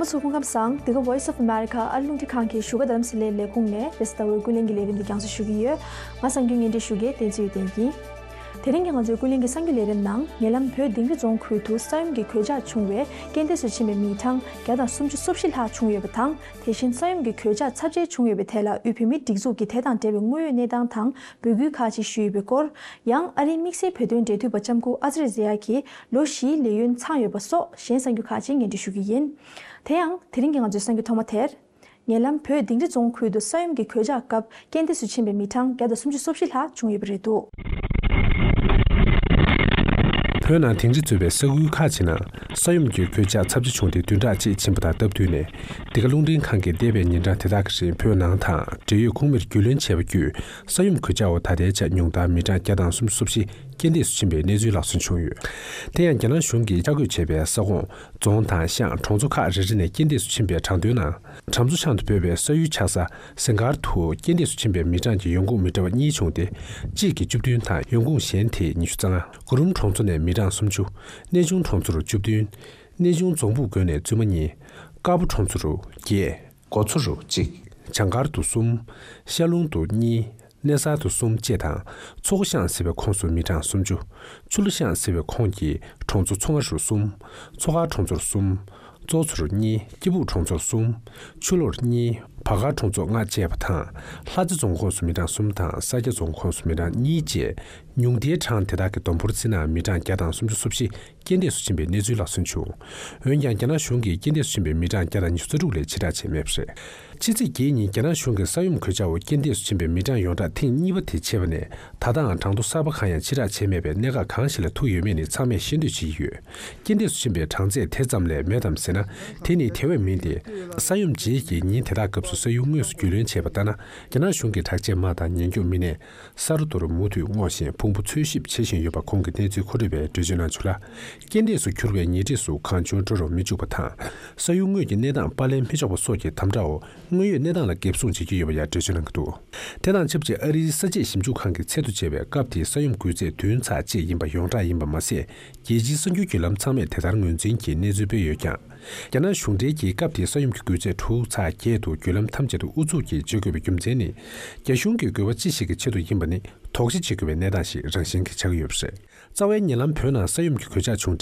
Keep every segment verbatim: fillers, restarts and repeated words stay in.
ཚོ་སྐུ་ཁམས་བཟང་། འདི་ག་Voice of America ཨ་རི་རླུང་འཕྲིན་ཁང་གི་བཞུགས་སྒར་རྡ་རམ་ས་ལའི་ལས་ཁུངས་ནས་རེས་གཟའ་ཟླ་བའི་ཀུན་གླེང་གི་ལས་རིམ་འདི་རྒྱང་སྲིང་ཞུ་གི་ཡོད། ང་གསར་འགོད་བརྙན་འཕྲིན་ཞུ་མཁན་བསྟན་འཛིན་ཡེ་ལྡན་ཡིན། དེ་རིང་གི་ང་ཚོའི་ཀུན་གླེང་གི་གསར་འགྱུར་ལས་རིམ་ནང་། ཉེ་ལམ་བོད་དིང་རི་རྫོང་ཁུལ་དུ་ས་ཡོམ་གྱི་གོད་ཆག་བྱུང་བས་རྐྱེན་འདས་སུ་ཕྱིན་པའི་མི་གྲངས་བརྒྱ་དང་སུམ་ཅུ་སོ་བཞི་ལྷག་བྱུང་ཡོད་པ་དང་། དེ་བཞིན་ས་ཡོམ་གྱི་གོད་ཆག་ཚབས་ཆེ་བྱུང་ཡོད་པའི་ཐད་ལ་དབུས་བོད་མིའི་སྒྲིག་འཛུགས་ཀྱིས་དེ་དང་འབྲེལ་བའི་དངོས་ཡོད་གནས་སྟངས་དང་འབོད་སྐུལ་ཁག་ཅིག་ཞུས་ཡོད་པའི་སྐོར། ཡང་ཨ་རིའི་དམིགས་བསལ་བོད་དོན་འབྲེལ་མཐུད་པ་ལྕམ་སྐུ་ཨ་ཙི་རེ་ཟེ་ཡ་གིས་ལོ་བཞིའི་ལས་ཡུན་ཚང་ཡོད་པ་སོགས་གཞན་གསར་འགྱུར་ཁག་ཅིག་སྙན་སྒྲོན་ཞུ་རྒྱུ་ཡིན། དེ་ཡང་དེ་རིང་གི་ང་ཚོའི་གསར་འགྱུར་ཐོག་མ་དེར། ཉེ་ལམ་བོད་དིང་རི་རྫོང་ཁུལ་དུ་ས་ཡོམ་གྱི་གོད་ཆག་སྐབས་རྐྱེན་འདས་སུ་ཕྱིན་པའི་མི་གྲངས་བརྒྱ་དང་སུམ་ཅུ་སོ་བཞི་ལྷག་བྱུང་ཡོད་པ་རེད་འདུག་བོད་ནང་དིང་རི་གཙོས་པའི་ས་ཁུལ་ཁག་ཅིག་ནང་ས་ཡོམ་གྱི་གོད་ཆག་ཚབས་ཆེ་བྱུང་སྟེ་བདུན་ཕྲག་གཅིག་ཕྱིན་པ་དང་སྟབས་བསྟུན་ནས། འདི་ག་རླུང་འཕྲིན་ཁང་གིས་འདས་པའི་ཉིན་གྲངས་དེ་དག་གི་རིང་བོད་ནང་དང་འབྲེལ་ཡོད་ཁོངས་མིར་རྒྱུས་ལོན་བྱས་པ་བརྒྱུད། ས་ཡོམ་གོད་ཆག་འོག་ད་ལྟའི་ཆར་ཉུང་མཐར་མི་གྲངས་བརྒྱ་དང་སུམ་ཅུ་སོ་བཞི་རྐྱེན་འདས་སུ་ཕྱིན་པའི་གནས་ཚུལ་ལག་སོན་བྱུང་ཡོད། དེ་ཡང་རྒྱ་ནག་གཞུང་གིས་བཅའ་བཀོད་བྱས་པའི་ས་ཁོངས། རྫོང་དང་ཤང་གྲོང་ཚོ་ཁག་རེ་རེ་ནས་རྐྱེན་འདས་སུ་ཕྱིན་པའི་གྲངས་ཐོའི་ནང་། གྲམ་མཚོ་ཤང་དུ་སྤོས་པའི་ས་ཡུལ་ཆགས་ས་སེང་དཀར་དུ་རྐྱེན་འདས་སུ་ཕྱིན་པའི་མི་གྲངས་ཀྱི་ཡོང་ཁུངས་མི་འདྲ་བ་གཉིས་བྱུང་སྟེ། གཅིག་གིས་བཅུ་བདུན་དང་ཡོང་ཁུངས་གཞན་དེས་ཉི་ཤུ་རྩ་ལྔ། གུ་རུམ་གྲོང་ཚོ་ནས་མི་གྲངས་སུམ་ཅུ། གནས་ཆུང་གྲོང་ཚོ་རུ་བཅུ་བདུན། གནས་ཆུང་རྫོང་ཕུག་དགོན་ནས་བཙུན་མ་གཉིས། དཀར་པོ་གྲོང་ཚོ་རུ་བརྒྱད། མགོ་མཚོ་རུ་གཅིག། བྱང་མཁར་དུ་གསུམ། ཤར་ལུང་དུ་གཉིས། གནས་གསར་དུ་གསུམ་བཅས་དང་། མཚོ་སྒོ་ཤང་ཟེར་བའི་ཁོངས་སུ་མི་གྲངས་སུམ་ཅུ། ཆུ་ལ་ཤང་ཟེར་བའི་ཁོངས་ཀྱི་གྲོང་ཚོ་མཚོ་རྔ་རུ་གསུམ། མཚོ་དཀར་གྲོང་ཚོ་རུ་གསུམ། གཙོ་མཚོ་རུ་གཉིས། སྐྱིད་སྦུག་གྲོང་ཚོ་རུ་གསུམ། ཆུ་ལོར་གཉིས། བར་སྒར་གྲོང་ཚོ་ལྔ་བཅས་པ་དང་། ལྷ་རྩེ་རྫོང་ཁོངས་སུ་མི་གྲངས་གསུམ་དང་། ས་སྐྱ་རྫོང་ཁོངས་སུ་མི་གྲངས་གཉིས་བཅས། ཉུང་མཐའི་གྲངས་དེ་དག་གི་བསྡོམས་འབོར་བརྩིས་ན་མི་གྲངས་བརྒྱ་དང་སུམ་ཅུ་སོ་བཞི་རྐྱེན་འདས་སུ་ཕྱིན་པའི་གནས་ཚུལ་ལག་སོན་བྱུང་། འོན་ཀྱང་རྒྱ་ནག་གཞུང་གིས་རྐྱེན་འདས་སུ་ཕྱིན་པའི་མི་གྲངས་བརྒྱ་དང་ཉི་ཤུ་རྩ་དྲུག་ལས་ཕྱི་བསྒྲགས་བྱས་མེད་པ་རེད། ཕྱི་ཚེས་བརྒྱད་ཉིན་རྒྱ་ནག་གཞུང་གིས་ས་ཡོམ་གོད་ཆག་འོག་རྐྱེན་འདས་སུ་ཕྱིན་པའི་མི་གྲངས་ཡོངས་གྲགས་ཐེངས་གཉིས་པ་དེ་ཆད་པ་ནས། ད་ལྟའང་གྲངས་ཐོ་གསར་པ་གང་ཡང་ཕྱི་བསྒྲགས་བྱས་མེད་པས། གནད་འགག་གང་ཞིག་ལ་ཐུག་ཡོད་མེད་ནི་ཚང་མས་ཤེས་འདོད་བྱེད་ཀྱི་ཡོད། རྐྱེན་འདས་སུ་ཕྱིན་པའི་གྲངས་ཚད་དེ་ཙམ་ལས་མེད་དམ་ཟེར་ན། དེ་ནི་དེ་བས་མིན་ཏེ། ས་ཡོམ་རྗེས་ཀྱི་ཉིན་དེ་དག་སྐབས་སུ་ས་ཡུལ་དངོས་སུ་རྒྱུས་ལོན་བྱས་པ་ལྟར་ན། རྒྱ་ནག་གཞུང་གི་དྲག་ཆས་དམག་དང་ཉེན་སྐྱོབ་མི་སྣས། ས་རུ་རྡོ་རུ་མུ་མཐུད་སྔོག་བཞིན་ཕུང་པོ་འཚོལ་ཞིབ་བྱེད་བཞིན་ཡོད་པ། ཁོང་གི་གནས་ཚུལ་མཁོ་སྤྲོད་པས་འགྲེལ་བརྗོད་གནང་བྱུང་ལ། རྐྱེན་འདས་སུ་གྱུར་བའི་ཉེ་འཁྲིས་སུ་གང་བྱུང་འགྲོ་རུ་མི་བཅུག་པ་དང་། ས་ཡུལ་དངོས་ཀྱི་གནས་སྟངས་པར་ལེན་མི་ཆོག་པ་སོགས་ཀྱི་དམ་དྲག་འོག་དངོས་ཡོད་གནས་སྟངས་ལ་འགེབས་སྲུང་བྱེད་ཀྱི་ཡོད་པ་ཡང་འགྲེལ་བརྗོད་གནང་གི་འདུག་དེ་དང་ཆབས་ཅིག་ཨ་རིའི་ས་དཔྱད་ཞིབ་འཇུག་ཁང་གི་ཚད་དུ་བྱས་པའི་སྐབས་དེའི་ས་ཡོམ་འགོས་ཚད་བདུན་ཚེག་གཅིག་ཡིན་པ་ཡོངས་གྲགས་ཡིན་པ་མ་ཟད། རྒྱལ་སྤྱིའི་གསར་འགྱུར་བརྒྱུད་ལམ་ཚང་མས་དེ་ལྟར་ངོས་འཛིན་གྱིས་གནས་ཚུལ་སྤེལ་ཡོད་ཀྱང་། རྒྱ་ནག་གཞུང་འབྲེལ་གྱིས་སྐབས་དེའི་ས་ཡོམ་གྱི་འགོས་ཚད་དྲུག་ཚེག་བརྒྱད་དུ་བརྒྱུད་ལམ་ཐམས་ཅད་དུ་ཨུ་ཚུགས་ཀྱིས་བརྗོད་དགོས་པའི་རྒྱུ་མཚན་ནི། རྒྱ་གཞུང་གི་དགོས་པ་ཅི་ཞིག་གི་ཆེད་དུ་ཡིན་པ་ནི་དོགས་གཞི་བྱེད་དགོས་པའི་གནས་སྟངས་ཤིག་རང་བཞིན་གྱིས་ཆགས་ཀྱི་ཡོད་པ་རེད། རྩ་བའི་ཉེ་ལམ་བོད་ནང་ས་ཡོམ་གྱི་གོད་ཆག་བྱུང་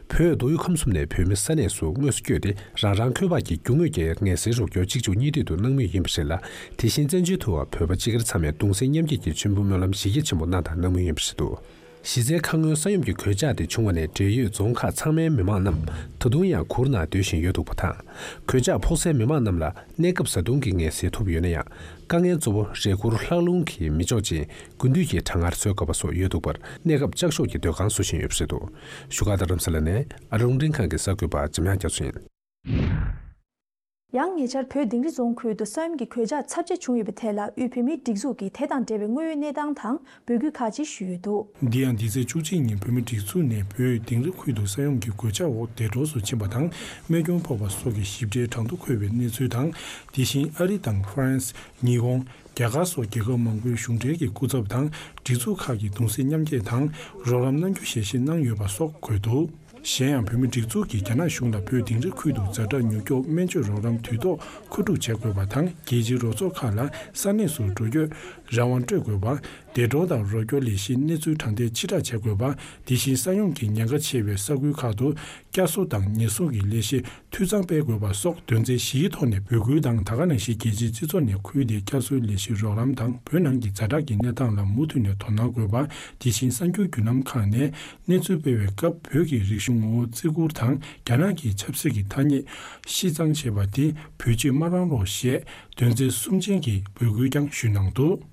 འཕྲལ། བོད་མདོ་དབུས་ཁམས་གསུམ་ནས་བོད་མི་ས་གནས་སུ་དངོས་སུ་བསྐྱོད་དེ། རང་རང་འཁོས་དབར་གྱི་རྒྱུ་དངོས་ཀྱི་ངལ་སེལ་རོགས་སྐྱོར་གཅིག་མཇུག་གཉིས་མཐུད་དུ་གནང་མུས་ཡིན་པ་རེད་ལ། དེ་བཞིན་བཙན་བྱོལ་དུའང་བོད་པ་སྤྱི་སྒེར་ཚང་མས་གདུང་སེམས་མཉམ་སྐྱེད་ཀྱི་མཆོད་འབུལ་སྨོན་ལམ་གཞི་རྒྱ་ཆེན་པོ་གནང་དང་གནང་མུས་ཡིན་པ་རེད་འདུག་གཞི་རྩའི་ཁ་སྔོན་ས་ཡོམ་གྱི་གོད་ཆག་དེ་བྱུང་བ་ནས་འབྲེལ་ཡོད་རྫོང་ཁག་ཚང་མའི་མི་མང་རྣམས་ད་དུང་ཡང་གུར་ནང་སྡོད་བཞིན་ཡོད་འདུག་པ་དང་། གོད་ཆག་ཕོག་སའི་མི་མང་རྣམས་ལ་གནས་སྐབས་བཟའ་བཏུང་གི་ངལ་སེལ་ཐོབ་ཡོད་ན་ཡང་། དཀའ་ངལ་གཙོ་བོ་རས་གུར་ལྷགས་རླུང་གིས་མི་ལྕོགས་ཅིང་། དགུན་དུས་ཀྱི་གྲང་ངར་གསོ་དཀའ་བ་སོགས་ཡོད་འདུག་པར། གནས་སྐབས་ལྕགས་ཤོག་གི་སྡོད་ཁང་བཟོ་བཞིན་ཡོད་པ་རེད་འདུག་བཞུགས་སྒར་རྡ་རམ་ས་ལ་ནས་ཨ་རི་རླུང་འཕྲིན་ཁང་གི་གསར་འགོད་པ་འཇམ་དབྱངས་རྒྱ་མཚོ་ཡིན། ཡང་ཉེ་ཆར་བོད་དིང་རི་རྫོང་ཁུལ་དུ་ས་ཡོམ་གྱི་གོད་ཆག་ཚབས་ཆེ་བྱུང་ཡོད་པའི་ཐད་ལ་དབུས་བོད་མིའི་སྒྲིག་འཛུགས་ཀྱིས་དེ་དང་འབྲེལ་བའི་དངོས་ཡོད་གནས་སྟངས་དང་འབོད་སྐུལ་ཁག་ཅིག་ཞུས་ཡོད་འདུག་འདི་ཡང་འདི་ཚེས་བཅུ་གཅིག་ཉིན་བོད་མིའི་སྒྲིག་འཛུགས་ནས་བོད་དིང་རི་ཁུལ་དུ་ས་ཡོམ་གྱི་གོད་ཆག་འོག་འདས་གྲོངས་སུ་ཕྱིན་པ་དང་རྨས་སྐྱོན་ཕོག་པ་སོགས་ཀྱི་ཞིབ་ཕྲའི་གྲངས་ཐོ་འཁོད་པའི་གནས་ཚུལ་དང་། དེ་བཞིན་ཨ་རི་དང་ཧྥ་རན་སི། ཉི་ཧོང་། རྒྱ་གར་སོགས་རྒྱལ་ཁབ་མང་པོའི་གཞུང་འབྲེལ་གྱི་སྐུ་ཚབ་དང་སྒྲིག་འཛུགས་ཁག་གིས་གདུང་སེམས་མཉམ་སྐྱེད་དང་རོགས་རམ་གནང་རྒྱུ་ཞལ་བཞེས་གནང་ཡོད་པ་སོགས་འཁོད་འདུག་གཞན་ཡང་བོད་མིའི་སྒྲིག་འཛུགས་ཀྱིས་རྒྱ་ནག་གཞུང་ལ་བོད་དིང་རི་ཁུལ་དུ་ཛ་དྲག་མྱུར་སྐྱོབ་སྨན་བཅོས་རོགས་རམ་དུས་ཐོག་མཁོ་སྒྲུབ་བྱ་དགོས་པ་དང་། རྒྱལ་སྤྱིའི་རོགས་ཚོགས་ཁག་ལ་ས་གནས་སུ་འགྲོ་སྐྱོད་རང་དབང་སྤྲོད་དགོས་པ། འདས་གྲོངས་དང་རོགས་སྐྱོར་ལས་གཞིའི་གནས་ཚུལ་དྲང་བདེན་ཕྱིར་བསྒྲགས་བྱ་དགོས་པ། དེ་བཞིན་ས་ཡོམ་གྱི་ཉེན་ཁ་ཆེ་བའི་ས་ཁུལ་ཁག་ཏུ་བསྐྱར་གསོ་དང་ཉེན་སྲུང་གི་ལས་གཞི་འཐུས་ཚང་སྤེལ་དགོས་པ་སོགས་དོན་ཚན་བཞིའི་ཐོག་ནས་འབོད་སྐུལ་དང་། ད་ག་ནང་བཞིན་རྒྱལ་སྤྱིའི་སྤྱི་ཚོགས་ནས་ཁུལ་དེའི་བསྐྱར་གསོའི་ལས་གཞི་རོགས་རམ་དང་བོད་ནང་གི་ཛ་དྲག་གི་གནས་སྟངས་ལ་མུ་མཐུད་ནས་དོ་སྣང་དགོས་པ། དེ་བཞིན་གསར་འགྱུར་བརྒྱུད་ལམ་ཁག་ནས་གནས་ཚུལ་སྤེལ་བའི་སྐབས་བོད་ཀྱི་རིག་གཞུང་ངོ་བོ་བརྩི་བཀུར་དང་རྒྱ་ནག་གི་ཆབ་སྲིད་ཀྱི་ཐ་སྙད་ཤི་གཙང་བྱས་པ་དེ་བོད་སྤྱིར་མ་རང་རོགས་ཞེས་དོན་ཚན་གསུམ་ཅན་གྱི་འབོད་སྐུལ་ཀྱང་ཞུས་གནང་འདུག་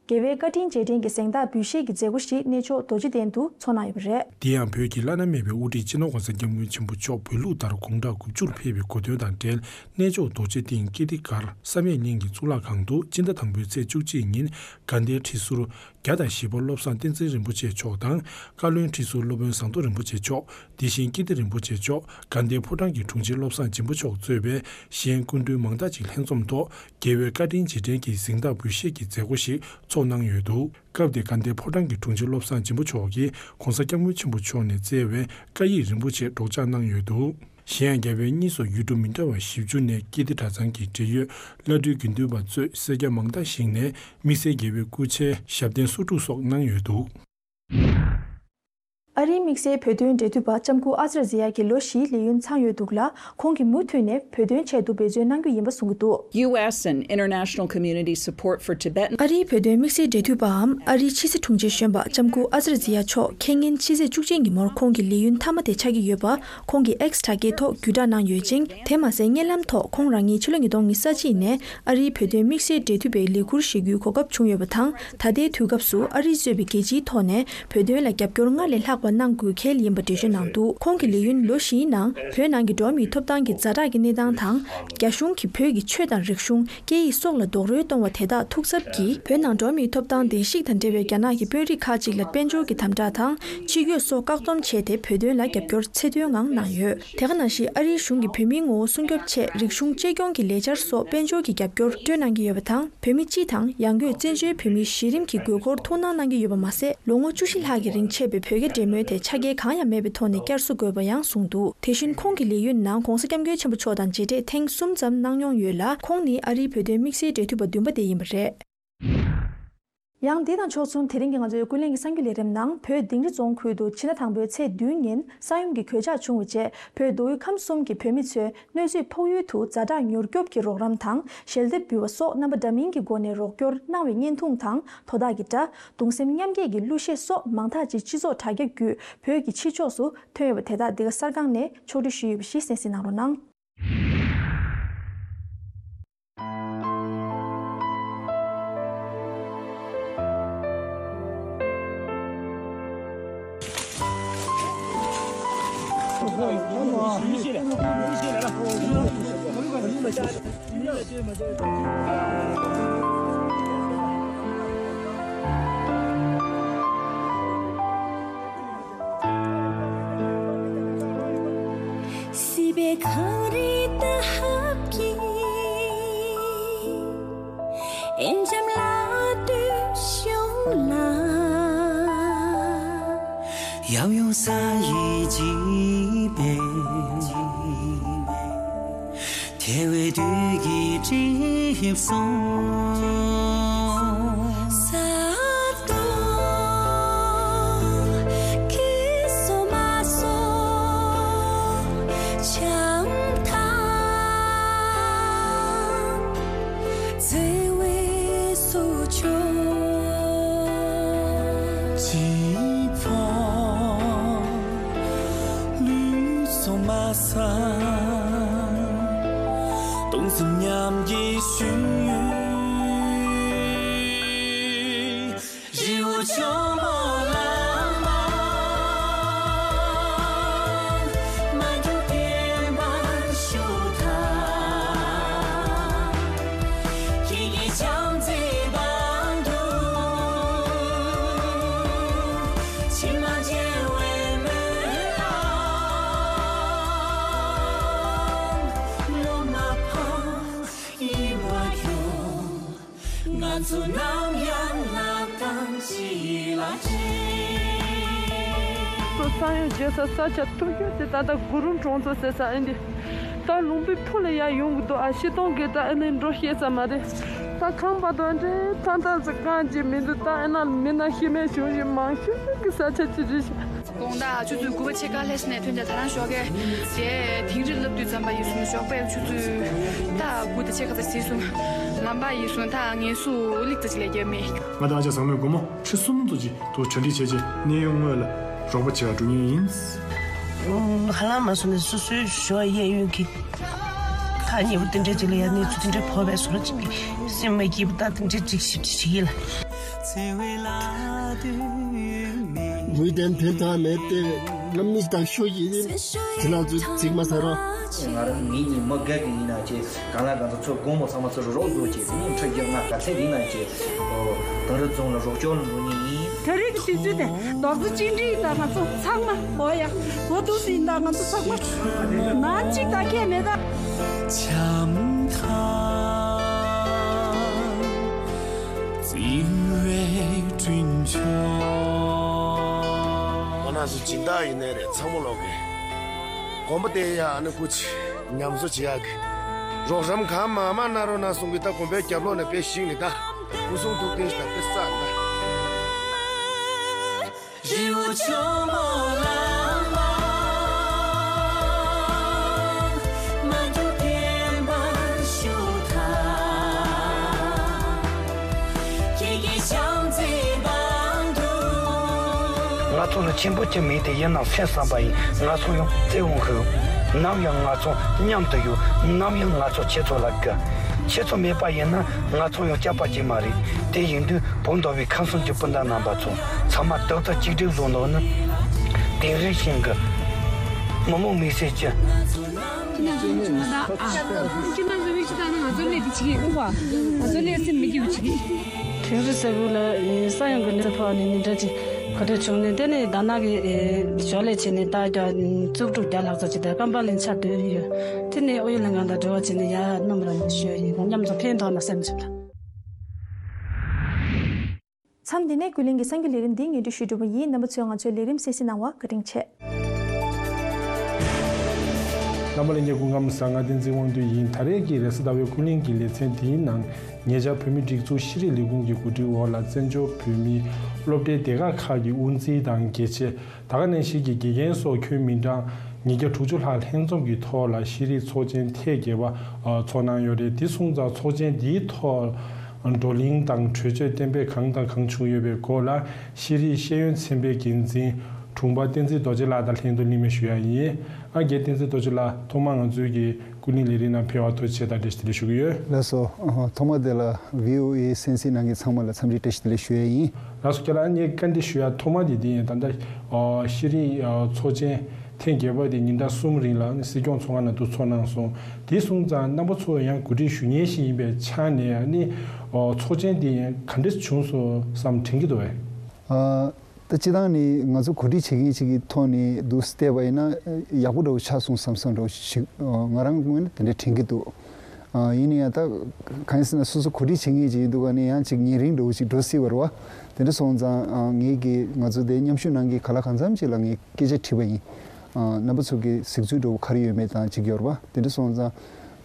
རྒྱལ་བའི་བཀའ་དྲིན་རྗེས་དྲན་གྱི་གཟེངས་རྟགས་འབུལ་བཞེས་ཀྱི་མཛད་སྒོ་ཞིག་གནས་མཆོག་རྡོ་རྗེ་གདན་དུ་ཚོགས་གནང་ཡོད་པ་རེད། དེ་ཡང་བོད་ཀྱི་བླ་ན་མེད་པའི་དབུ་ཁྲིད་སྤྱི་ནོར་༸གོང་ས་༸སྐྱབས་མགོན་ཆེན་པོ་མཆོག་བོད་ལུགས་ལྟར་དགུང་གྲངས་དགུ་བཅུར་ཕེབས་པའི་གོ་སྟོན་དང་འབྲེལ། གནས་མཆོག་རྡོ་རྗེ་གདན་ཀིརྟི་སྒར་བསམ་ཡས་གླིང་གི་གཙུག་ལག་ཁང་དུ་སྤྱི་ཟླ་དང་པོའི་ཚེས་བཅུ་གཅིག་ཉིན་དགའ་ལྡན་ཁྲི་ཟུར་བརྒྱ་དང་བཞི་པ་བློ་བཟང་བསྟན་འཛིན་རིན་པོ་ཆེ་མཆོག་དང་། བཀའ་བློན་ཁྲི་ཟུར་སློབ་དཔོན་ཟམ་གདོང་རིན་པོ་ཆེ་མཆོག་དེ་བཞིན་ཀིརྟི་རིན་པོ་ཆེ་མཆོག་དགའ་ལྡན་ཕོ་བྲང་གི་དྲུང་ཆེ་བློ་བཟང་སྦྱིན་པ་མཆོག་གཙོས་པའི་གཞན་སྐུ་མགྲོན་མང་དག་ཅིག་ལྷན་འཛོམས་ཐོག་རྒྱལ་བའི་བཀའ་དྲིན་རྗེས་དྲན་གྱི་གཟེངས་རྟགས་འབུལ་བཞེས་ཀྱི་མཛད་སྒོ་ཞིག་ཚོགས་གནང་ཡོད་འདུག་སྐབས་དེར་དགའ་ལྡན་ཕོ་བྲང་གི་དྲུང་ཆེ་བློ་བཟང་སྦྱིན་པ་མཆོག་གིས་༸གོང་ས་༸སྐྱབས་མགོན་ཆེན་པོ་མཆོག་ནས་བསྩལ་བའི་བཀའ་ཡིག་རིན་པོ་ཆེ་སྒྲོག་སྦྱང་གནང་ཡོད་འདུག་གཞན་ཡང་རྒྱ་བལ་གཉིས་སུ་ཡུལ་གྲུ་མི་འདྲ་བ་བཞི་བཅུ་ནས་ཀིརྟི་གྲྭ་ཚང་གི་འབྲེལ་ཡོད་བླ་སྤྲུལ་དགེ་འདུན་པ་གཙོས་སེར་སྐྱ་མང་དག་ཞིག་ནས་དམིགས་བསལ་རྒྱལ་བའི་སྐུ་ཕྱྭའི་ཞབས་བརྟན་གསོག་སྒྲུབ་སོགས་གནང་ཡོད་འདུག། ཨ་རིའི་དམིགས་བསལ་བོད་དོན་འབྲེལ་མཐུད་པ་ལྕམ་སྐུ་ཨ་ཙར་ཛི་ཡ་གིས་ལོ་བཞིའི་ལས་ཡུན་ཚང་ཡོད་འདུག་ལ། ཁོང་གིས་མུ་མཐུད་ནས་བོད་དོན་ཆེད་དུ་འབད་བརྩོན་གནང་རྒྱུ་ཡིན་པ་གསུངས་ཀྱི་འདུག། U S and international community support for Tibetan ཨ་རིའི་བོད་དོན་དམིགས་བསལ་འབྲེལ་མཐུད་པའམ་ཨ་རིའི་ཕྱི་སྲིད་དྲུང་ཆེ་གཞོན་པ་ལྕམ་སྐུ་ཨ་ཙར་ཛི་ཡ་མཆོག་ཁེ་ཉིན་ཕྱི་ཚེས་བཅུ་གཅིག་ཉིན་མོར་ཁོང་གི་ལས་ཡུན་མཐའ་མ་དེ་ཆགས་ཀྱི་ཡོད་པ། ཁོང་གིས་X་དྲ་རྒྱའི་ཐོག་བརྒྱུད་བསྒྲགས་གནང་ཡོད་ཅིང་། དེ་མ་ཟད་བརྙན་ལམ་ཐོག་ཁོང་རང་ཉིད་ཕྱི་ལོ་ཉིས་སྟོང་ཉི་ཤུ་རྩ་གཅིག་ནས་ཨ་རིའི་བོད་དོན་དམིགས་བསལ་འབྲེལ་མཐུད་པའི་ལས་ཁུར་བཞེས་རྒྱུའི་གོ་སྐབས་བྱུང་ཡོད་པ་དང་། ད་ལྟའི་དུས་སྐབས་སུ་ཨ་རིས་གཙོས་པའི་རྒྱལ་སྤྱིའི་ཐོག་ནས་བོད་དོན་ལ་རྒྱབ་སྐྱོར་སྔར་ལས་ལྷག་པ་གནང་དགོས་གལ་ཡིན་པ་འགྲེལ་བརྗོད་གནང་འདུག། ཁོང་གི་ལས་ཡུན་ལོ་བཞིའི་ནང་བོད་ནང་གི་འགྲོ་བ་མིའི་ཐོབ་ཐང་གི་ཛ་དྲག་གི་གནས་སྟངས་དང་། རྒྱ་གཞུང་གིས་བོད་ཀྱི་ཆོས་དང་རིག་གཞུང་། སྐད་ཡིག་སོགས་ལ་རྡོག་རོལ་གཏོང་བ་དེ་དག་ཐུགས་འཚབ་ཀྱིས། བོད་ནང་འགྲོ་བ་མིའི་ཐོབ་ཐང་བརྡལ་བཤིག་དང་འབྲེལ་བའི་རྒྱ་ནག་གི་དཔོན་རིགས་ཁག་ཅིག་ལ་དཔལ་འབྱོར་གྱི་དམ་དྲག་དང་། ཕྱི་སྐྱོད་སོགས་བཀག་སྡོམ་བྱས་ཏེ། བོད་དོན་ལ་རྒྱབ་སྐྱོར་ཚད་མཐོའི་ངང་གནང་ཡོད། དེ་ག་ནང་བཞིན་ཨ་རིའི་གཞུང་གིས་བོད་མིའི་ངོ་བོ་སྲུང་སྐྱོབ་ཆེད་རིག་གཞུང་གཅེས་སྐྱོང་གི་ལས་འཆར་སོགས་དཔལ་འབྱོར་གྱི་རྒྱབ་སྐྱོར་སྤྲོད་གནང་གི་ཡོད་པ་དང་། བོད་མི་སྤྱི་དང་ཡང་སྒོས་བཙན་བྱོལ་བོད་མིའི་གཞི་རིམ་གྱི་དགོས་མཁོར་ཐུགས་སྣང་གནང་གི་ཡོད་པ་མ་ཟད། ལོ་ངོ་བཅུ་བཞི་ལྷག་གི་རིང་ཆད་པའི་བོད་རྒྱ་འབྲེལ་མོལ་དེ་ཆ་རྐྱེན་གང་ཡང་མེད་པའི་ཐོག་ནས་བསྐྱར་གསོ་དགོས་པ་ཡང་གསུངས་འདུག། དེ་བཞིན་ཁོང་གི་ལས་ཡུན་ནང་༧གོང་ས་༧སྐྱབས་མགོན་ཆེན་པོ་མཆོག་དང་མཇལ་འཕྲད་ཐེངས་གསུམ་ཙམ་གནང་མྱོང་ཡོད་ལ། ཁོང་ནི་ཨ་རིའི་བོད་དོན་དམིགས་བསལ་འབྲེལ་མཐུད་པ་བདུན་པ་དེ་ཡིན་པ་རེད། ཡང་འདི་དང་ཕྱོགས་མཚུངས། དེ་རིང་གི་ང་ཚོའི་ཀུན་གླེང་གི་གསར་འགྱུར་ལས་རིམ་ནང་། བོད་དིང་རི་རྫོང་ཁུལ་དུ་ཕྱི་ཟླ་དང་པོའི་ཚེས་བདུན་ཉིན་ས་ཡོམ་གྱི་གོད་ཆག་བྱུང་བའི་རྗེས། བོད་མདོ་དབུས་ཁམས་གསུམ་གྱི་བོད་མི་ཚོས་གནོད་འཚེ་ཕོག་ཡུལ་དུ་ཛ་དྲག་མྱུར་སྐྱོབ་ཀྱི་རོགས་རམ་དང་། ཞལ་འདེབས་འབུལ་བ་སོགས་རྣམ་པ་འདྲ་མིན་གྱི་སྒོ་ནས་རོགས་སྐྱོར་གནང་བའི་བརྙན་ཐུང་དང་། དོ་བདག་གི་སྒྲ། གདུང་སེམས་མཉམ་སྐྱེད་ཀྱི་གླུ་གཞས་སོགས་མང་དག་ཅིག་སྤྱི་ཚོགས་དྲ་རྒྱ་བརྒྱུད་བོད་ཀྱི་ཕྱི་ཕྱོགས་སུ་ཐོན་ཡོད་པ་དེ་དག་འདི་ག་གསར་ཁང་ནས་ཕྱོགས་སྒྲིག་ཞུས་ཡོད་པ་ཞིག་གསན་གཟིགས་གནང་རོགས་གནང་། སྲིད་པའི་གངས་རི་འདབས་ཀྱི་ཨེ་འཇམ་ལ་སྟོད་གཞུང་ལ། ཡབ་ཡུམ་ས་ཡི་བྱིས་པའི། ཐལ་བའི་དུས་ཀྱི་གྲིབ་སོང་། ས་རྡོ་སྐྱེས་སོ་མ་སོ་བྱམས་དང་བརྩེ་བའི་སོ་མཆོག་ཅི་ཕོག་ལུས་སོ་མ་ས། གདུང་སེམས་མཉམ་སྐྱེད་ཞུ། རི་བོ་ཆེན་པོ་ལ་མ་མ་འགྱུར་བརྟན་པར་བཞུགས་དང་། ཁྱེད་ཀྱི་བྱམས་བརྩེའི་པང་དུ། ཕྱི་མ་མཇལ་བའི་སྨོན་ལམ་ལོ་མ་ཕམ་ཡིད་མ་སྐྱོ། ང་ཚོ་ནམ་ཡང་ལག་རྡང་གཅིག་ལ་སྦྲེལ། ས་ཡོམ་བྱེད་ས་ས་ཆ་མཐོ་ཤོས་དེ་ད་ལྟ་གུ་རུ་གྲོང་ཚོ་ཟེར་ས་ཨེ་འདི། ད་ལུང་པའི་ཕུ་ལ་ཡར་ཡོང་གི་འདུག་ཨ། སྤྱིར་བཏང་གི་ད་ཨ་ནི་འགྲོ་ཤེས་ས་མ་རེད། ད་ཁང་པ་དང་འདྲེ་ཐང་ཐང་ཟེར་གང་ཅི་མི་འདུག་ད་ཨ་ན་མི་ན་ཤི་མེད་བྱུང་ཞིག་མང་ཤོས་ཀྱི་ས་ཆ་ཅི་རེད་ཤག་དགོང་དག་ཆུ་ཚོད་དགུ་པ་ཕྱེད་ཀ་ལྷས་ནས་ཐོན་ཏེ་ད་རང་ཞོགས་ཀས་དེ་དིང་རི་ལབ་དུས་ཙམ་པ་ཡིན་སོང་ཞོགས་པའི་ཆུ་ཚོད་ད་དགུ་དང་ཕྱེད་ཀ་ཙམ་ཟིན་སོང་། ལམ་པ་ཡིན་སོང་ད་ངལ་གསོ་ལེགས་ཙམ་ཅིག་ལས་རྒྱབ་མེད། ང་དང་ཨ་ཅག་བཟང་མོས་སྒོར་མོ་ཁྲི་གསུམ་ཙམ་ཅིག་ཐོག་གྲ་སྒྲིག་བྱས་རྗེས་གནས་ཡུལ་དངོས་ལ་རོགས་པ་བྱེད་ག་འགྲོ་མཁན་ཡིན། ཧ་ལམ་མ་སོང་ནས་སོ་སོའི་ཞོ་གཡས་གཡོན་གྱི་ཐག་ཉེ་བོ་དེ་འདྲས་ཅིག་ལ་ཡ་གནས་ཚུལ་དེ་འདྲས་ཕོག་པས་བཟོ་འདྲ་ཅིག་གི་སེམས་མ་སྐྱིད་པོ་ད་དེ་འདྲས་ཅིག་ཞིབ་ཅིག་བྱེད་ཀྱི་ལ། ངུས་ཏན་ཕན་ཐོགས་མེད་དེ། ང་མི་དང་ཤོ་ཡིན། ཁྱེད་རང་ཚོས་ཚིག་མ་ཟ་རོགས། ང་རང་མི་གཉིས་མི་རྒས་ཀྱི་ཡིན་ན་ཅེས་གང་ལ་གང་འཚམ་ཚོ་དགོང་མོ་ཚང་མ་ཚོ་རོགས་རོགས་བཟོ་བྱས་དེ་ནས་འཕྲོད་རྒྱུ་ང་ག་ཚད་ཡིན་ན་ཅེས་དང་རི་རྫོང་ལ་རོགས་སྐྱོར་ལ་འགྲོ་ནི་ཡིན། དེ་རིང་གི་དུས་ཚོད་དེ་རྡོག་རྩ་གཅིག་སྒྲིལ་ཡིན་ད་ང་ཚོ་ཚང་མ་འོ་ཡ་གོ་ཐུག་སྲིད་ཡིན་ད་ང་ཚོ་ཚང་མ་ནང་གཅིག་ད་ཁྱད་མེད་ད། བྱམས་དང་བརྩེ་བའི་དྲིན་ཆེན། ང་རང་ཚོ་སྦྱིན་བདག་ཡིན་ནའི་རེད་ཚང་མ་ལོག་གི། དགོན་པ་དེ་ཡང་ཨ་ནི་སྐུ་མཁྱེན་ཉམས་གསོ་བྱེད་ཡག་གི་རོགས་རམ་གང་མང་མང་གནང་རོགས་གནང་གསུང་གི། ད་དགོན་པའི་རྒྱབ་ལོགས་ནས་དཔེ་ཞིག་ནི་ད་སྐུ་གསུང་ཐུགས་རྟེན་ཞིག་ད་དཔེ་བསགས་ན། རི་བོ་ཆེན་པོ་ལ་མ་མ་འགྲོ་བདེན་པར་ཞུ་ཐལ། ཁྱེད་ཀྱི་བྱམས་བརྩེའི་པང་དུ། ང་ཚོ་ནི་ཆེན་པོ་ཅིག་མིན་ཏེ་ཡིན་ནམ་སེམས་བསམ་པ་ཡིན། ང་ཚོ་ཡང་བརྩེ་བོ་ཧུ། ནམ་ཡང་ང་ཚོ་མཉམ་དུ་ཡོད། ནམ་ཡང་ང་ཚོ་ཁྱེད་ཚོ་ལ་དགའ། ཁྱེད་ཚོ་མེད་པ་ཡིན་ན་ང་ཚོ་ཡང་སྐྱབས་པ་ཅིག་མ་རེད། དེ་ཡིན་དུས་བོད་མདོ་དབུས་ཁམས་གསུམ་གྱི་སྤུན་ཟླ་རྣམ་པ་ཚོ་ཚང་མ་རྡོག་རྩ་གཅིག་སྒྲིལ་བཟོ་འདོད་ནི། དིང་རི་ཞིང་གི་མི་མང་མི་སེར་གྱི། ཁྱེད་རྣམ་ཚོ་མི་ཆུ་ད་ནི་ང་ཚོ་ལས་དེ་བྱེད་ཀྱི་ཨུ་བ། ང་ཚོ་ལས་སེམས་མི་སྐྱིད་པ་བྱེད་ཀྱི། དིང་རི་ས་ཁུལ་ལ་ས་ཡོམ་གྱི་གནོད་འཚེ་ཕོག་ནས་ཉིན་གྲངས་ཅིག་ག་འདྲ་བྱུང་ནས། དེ་ནས་ད་ནག་གི་ཞོར་ལས་བྱས་ནས་ད་རྒྱ་བཙུགས་དྲུག་བརྒྱ་ལྷག་ཙམ་ཅིག་ད་ཀམ་པ་ལིན་ཆ་སྡོད་ཡོད། དེ་ནས་ཨོ་ཡོད་ལྷན་ཁང་དང་འབྲེལ་བ་བྱས་ནས་ཡར་སྣུམ་ར་ཞོད་ཡིན། མཉམ་དུ་ཕན་ཐོགས་ན་སེམས་བྱུང་ད། མཚམས་འདི་ནས་ཀུན་གླེང་གི་སང་གི་ལས་རིམ་འདི་སྙན་སྒྲོན་ཞུས་གྲུབ་པ་ཡིན། རྣམ་པ་ཚོས་ང་ཚོའི་ལས་རིམ་གསན་གཟིགས་གནང་བར་བཀའ་དྲིན་ཆེ། རྣམ་པ་ལྷན་རྒྱས་སྐུ་ཁམས་བཟང་། ང་བསྟན་འཛིན་དབང་འདུས་ཡིན། ད་རེས་ཀྱི་རེས་གཟའ་ཟླ་བའི་ཀུན་གླེང་གི་ལེ་ཚན་འདིའི་ནང་ཉེ་ཆར་བོད་མིའི་སྒྲིག་འཛུགས་ཤེས་རིག་ལས་ཁུངས་ཀྱི་གོ་སྒྲིག་འོག་ལ་བཙན་བྱོལ་བོད་མིའི་སློབ་གྲྭའི་སྡེ་ཁག་ཁག་གི་དབུ་འཛིན་དང་དགེ་ཆེ། ད་ག་ནང་བཞིན་གྱི་དགེ་རྒན་སོགས་ཁྱོན་མི་གྲངས་ཉིས་བརྒྱ་དྲུག་ཅུ་ལྷག་ལྷན་འཛོམས་ཀྱི་ཐོག་ལ་ཤེས་རིག་ཚོགས་ཆེན་ཐེངས་བརྒྱད་པ་ཚོགས་གནང་ཡོད་རེད། དེ་སོང་ཙང་ཚོགས་ཆེན་འདིའི་ཐོག་བགྲོ་གླེང་དང་གྲོས་ཆོད་གཏན་འབེབས་གང་དང་གང་བྱུང་ཡོད་པའི་སྐོར་ལ་ཤེས་རིག་ཤེས་ཡོན་ཚན་པའི་འགན་འཛིན་དྲུང་པ་བསྟན་འཛིན་རྡོ་རྗེ་ལགས་དང་ལྷན་དུ་གླེང་མོལ་ཞུ་ཡ་ཡིན། ཨ་རྒན་བསྟན་འཛིན་རྡོ་རྗེ་ལགས། ཐོག་མར་ང་ཚོའི་གི་ཀུན་གླེང་ལས་རིམ་ནང་ཕེབས་པར་ཐུགས་རྗེ་ཆེ་དང་བཀྲ་ཤིས་བདེ་ལེགས་ཞུ་གི་ཡོད། ལགས་སོ། ཐོག་མ་དེ་ལ་བྷི་ཨོ་ཨེ་གསན་གཟིགས་གནང་མཁན་ཚང་མ་ལ་འཚམས་འདྲི་བཀྲ་ཤིས་བདེ་ལེགས་ཞུ་ཡས་ཡིན། ལགས་སོ། ཁྱེད་ལ་ངས་བཀའ་འདྲི་ཞུ་ཡ་ཐོག་མ་དེ་དེ་ཡིན། ད་ལྟ་ཤེས་རིག་ཚོགས་ཆེན་ཐེངས་བརྒྱད་པ་དེ་ཉིན་གྲངས་གསུམ་རིང་ལ་ནི་སྲིད་སྐྱོང་ཚོགས་ཁང་ནང་དུ་ཚོགས་གནང་སོང་། དེ་སོང་ཙང་རྣམ་པ་ཚོ་ཡང་གོ་སྒྲིག་ཞུ་མཁན་ཞིག་ཡིན་པའི་ཆ་ནས་ནི་ཚོགས་ཆེན་དེ་ག་འདྲ་བྱུང་སོང་བསམ་དྲན་གྱི་འདུག་བས། ད་སྤྱིར་བཏང་ནི་ང་ཚོ་གོ་སྒྲིག་བྱེད་མཁན་ཅིག་གི་ཐོག་ནས་འདུག་བལྟས་པ་ཡིན་ན་ཡག་པོ་འདྲ་བོ་ཆགས་སོང་བསམ་བསམ་འདྲ་བོ་ཞིག་ང་རང་ངོས་ནས་དེ་འདྲ་དྲན་གྱི་འདུག་ཡིན་ན་ཡང་ད་གང་ཡིན་ཟེར་ན་སོ་སོ་གོ་སྒྲིག་བྱེད་མཁན་ཅིག་ཡིན་དུས་ཀ་ནས་ཡང་ཅིག་ཉེ་རིང་འདྲ་བོ་ཞིག་འགྲོ་སྲིད་པ་རེད་བ། དེ་འདྲ་སོང་ཙང་ངས་ཀྱི་ང་ཚོ་དེ་མཉམ་ཞུགས་གནང་མཁན་ག་ལ་གང་འཚམ་ཅིག་ལ་ངས་སྐད་ཆ་དྲིས་པ་ཡིན། རྣམ་པ་ཚོ་གི་གཟིགས་ཚུལ་འདྲ་བོ་ག་རེ་ཡོད་མེད་དང་ཅིག་ཡོད་རེད་བ། དེ་འདྲ་སོང་ཙང་།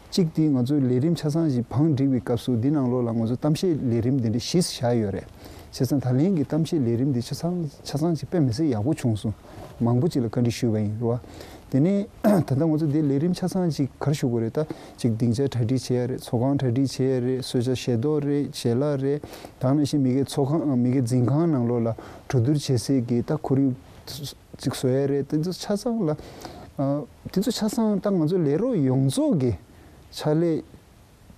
གཅིག་དེ་ང་ཚོའི་ལས་རིམ་ཆ་ཚང་ཞིག་བང་བསྒྲིགས་པའི་སྐབས་སུ་འདི་ནང་ལོགས་ལ་ང་ཚོ་གཏམ་བཤད་ལས་རིམ་འདི་འདྲ་བཞི་བཞག་ཡོད་རེད། བྱས་ཙང་ད་ལན་གྱི་གཏམ་བཤད་ལས་རིམ་འདི་ཆ་ཚང་ཆ་ཚང་ཞིག་དཔེ་མི་སྲིད་ཡག་པོ་བྱུང་སོང་། མང་པོ་ཅིག་ལ་བཀའ་འདྲི་ཞུས་པ་ཡིན་རེད་བ། དེ་ནས་ད་ལྟ་ང་ཚོ་འདི་ལས་རིམ་ཆ་ཚང་ཞིག་ག་རེ་ཞུ་དགོས་རེད། ད་ཅིག་སྡིངས་ཆ་གྲ་སྒྲིག་བྱེད་ཡ་རེད། ཚོགས་ཁང་གྲ་སྒྲིག་བྱེད་ཡ་རེད། གསོལ་ཇ་བཞེས་ཐོག་རེད། ཞལ་ལག་རེད། ད་ག་ནང་བཞིན་མི་སྒེར་ཚོགས་ཁང་མི་སྒེར་འཛིན་ཁང་ནང་ལོགས་ལ་གྲོས་བསྡུར་བྱེད་སའི་གི་ད་ཁོར་ཡུག་ཅིག་བཟོ་ཡ་རེད། དེ་ཚོ་ཆ་ཚང་ལ་ཨ་དེ་ཚོ་ཆ་ཚང་ད་ང་ཚོ་ལས་རོགས་ཡོངས་རྫོགས་ཀྱི་ཕྱག་ལས་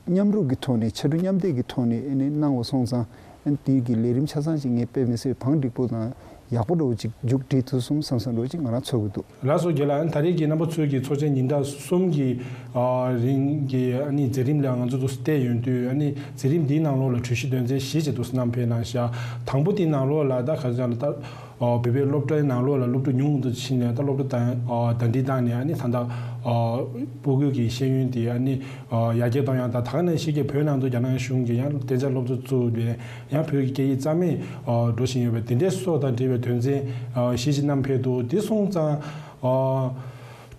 མཉམ་རུབ་ཀྱི་ཐོག་ནས་ཕྱར་གྲུ་མཉམ་འདེགས་ཀྱི་ཐོག་ནས་ཨ་ནི་གནང་བ་སོང་ཙང་ཨ་ནི་དེའི་གི་ལས་རིམ་ཆ་ཚང་ཞིག་ངས་དཔེ་མི་སྲིད་བང་སྒྲིག་པོ་དང་ཡག་པོ་འདྲ་བོ་ཅིག་མཇུག་སྒྲིལ་ཐུབ་སོང་བསམ་བསམ་འདྲ་བོ་ཅིག་ང་རང་ཚོར་གྱི་འདུག་ལགས་སོ། རྒན་ལགས། ཨ་ནི་ད་རེས་ཀྱི་རྣམ་པ་ཚོའི་གི་ཚོགས་ཆེན་ཉིན་གྲངས་གསུམ་གྱི་ཨ་རིང་གི་ཨ་ནི་མཛད་རིམ་ལ་ང་ཚོ་འདུག་སེ་བལྟས་ཡོང་དུས་ཨ་ནི་མཛད་རིམ་འདིའི་ནང་ལོགས་ལ་གྲོས་གཞི་དོན་ཚན་བཞི་ཅིག་འདུག་སེ་བསྣམས་ཕེབས་གནང་ཤག་དང་པོ་དེའི་ནང་ལོགས་ལ་ད་ག་ཚོད་ལ་ད། ཨོ་བོད་པའི་སློབ་གྲྭའི་ནང་ལོགས་ལ་སློབ་ཕྲུག་ཉུང་དུ་ཕྱིན་ནས་ད་སློབ་གྲྭ་དང་ཨོ་ཟླ་སྒྲིལ་བཏང་ནས་ཨ་ནི་ད་ལྟ་ཨོ་སྤུ་གུ་གི་ཤེས་ཡོན་དེ་ཨ་ནི་ཨོ་ཡར་རྒྱས་གཏོང་ཡག་དང་། ད་ག་ནང་བཞིན་གྱི་བོད་ནང་དུ་རྒྱ་ནག་གཞུང་གིས་ཡང་གཏན་འཇགས་སློབ་གཙོ་བཙུགས་ནས་ཡང་བོད་ཀྱི་སྐད་ཡིག་རྩ་མེད་ཨོ་འགྲོ་བཞིན་ཡོད་པ་དེ་འདྲའི་སོགས་དང་འབྲེལ་བའི་དོན་ཚན་ཨོ་བཞི་ཅིག་བསྣམས་ཕེབས་འདུག་དེ་སོང་ཙང་ཨོ་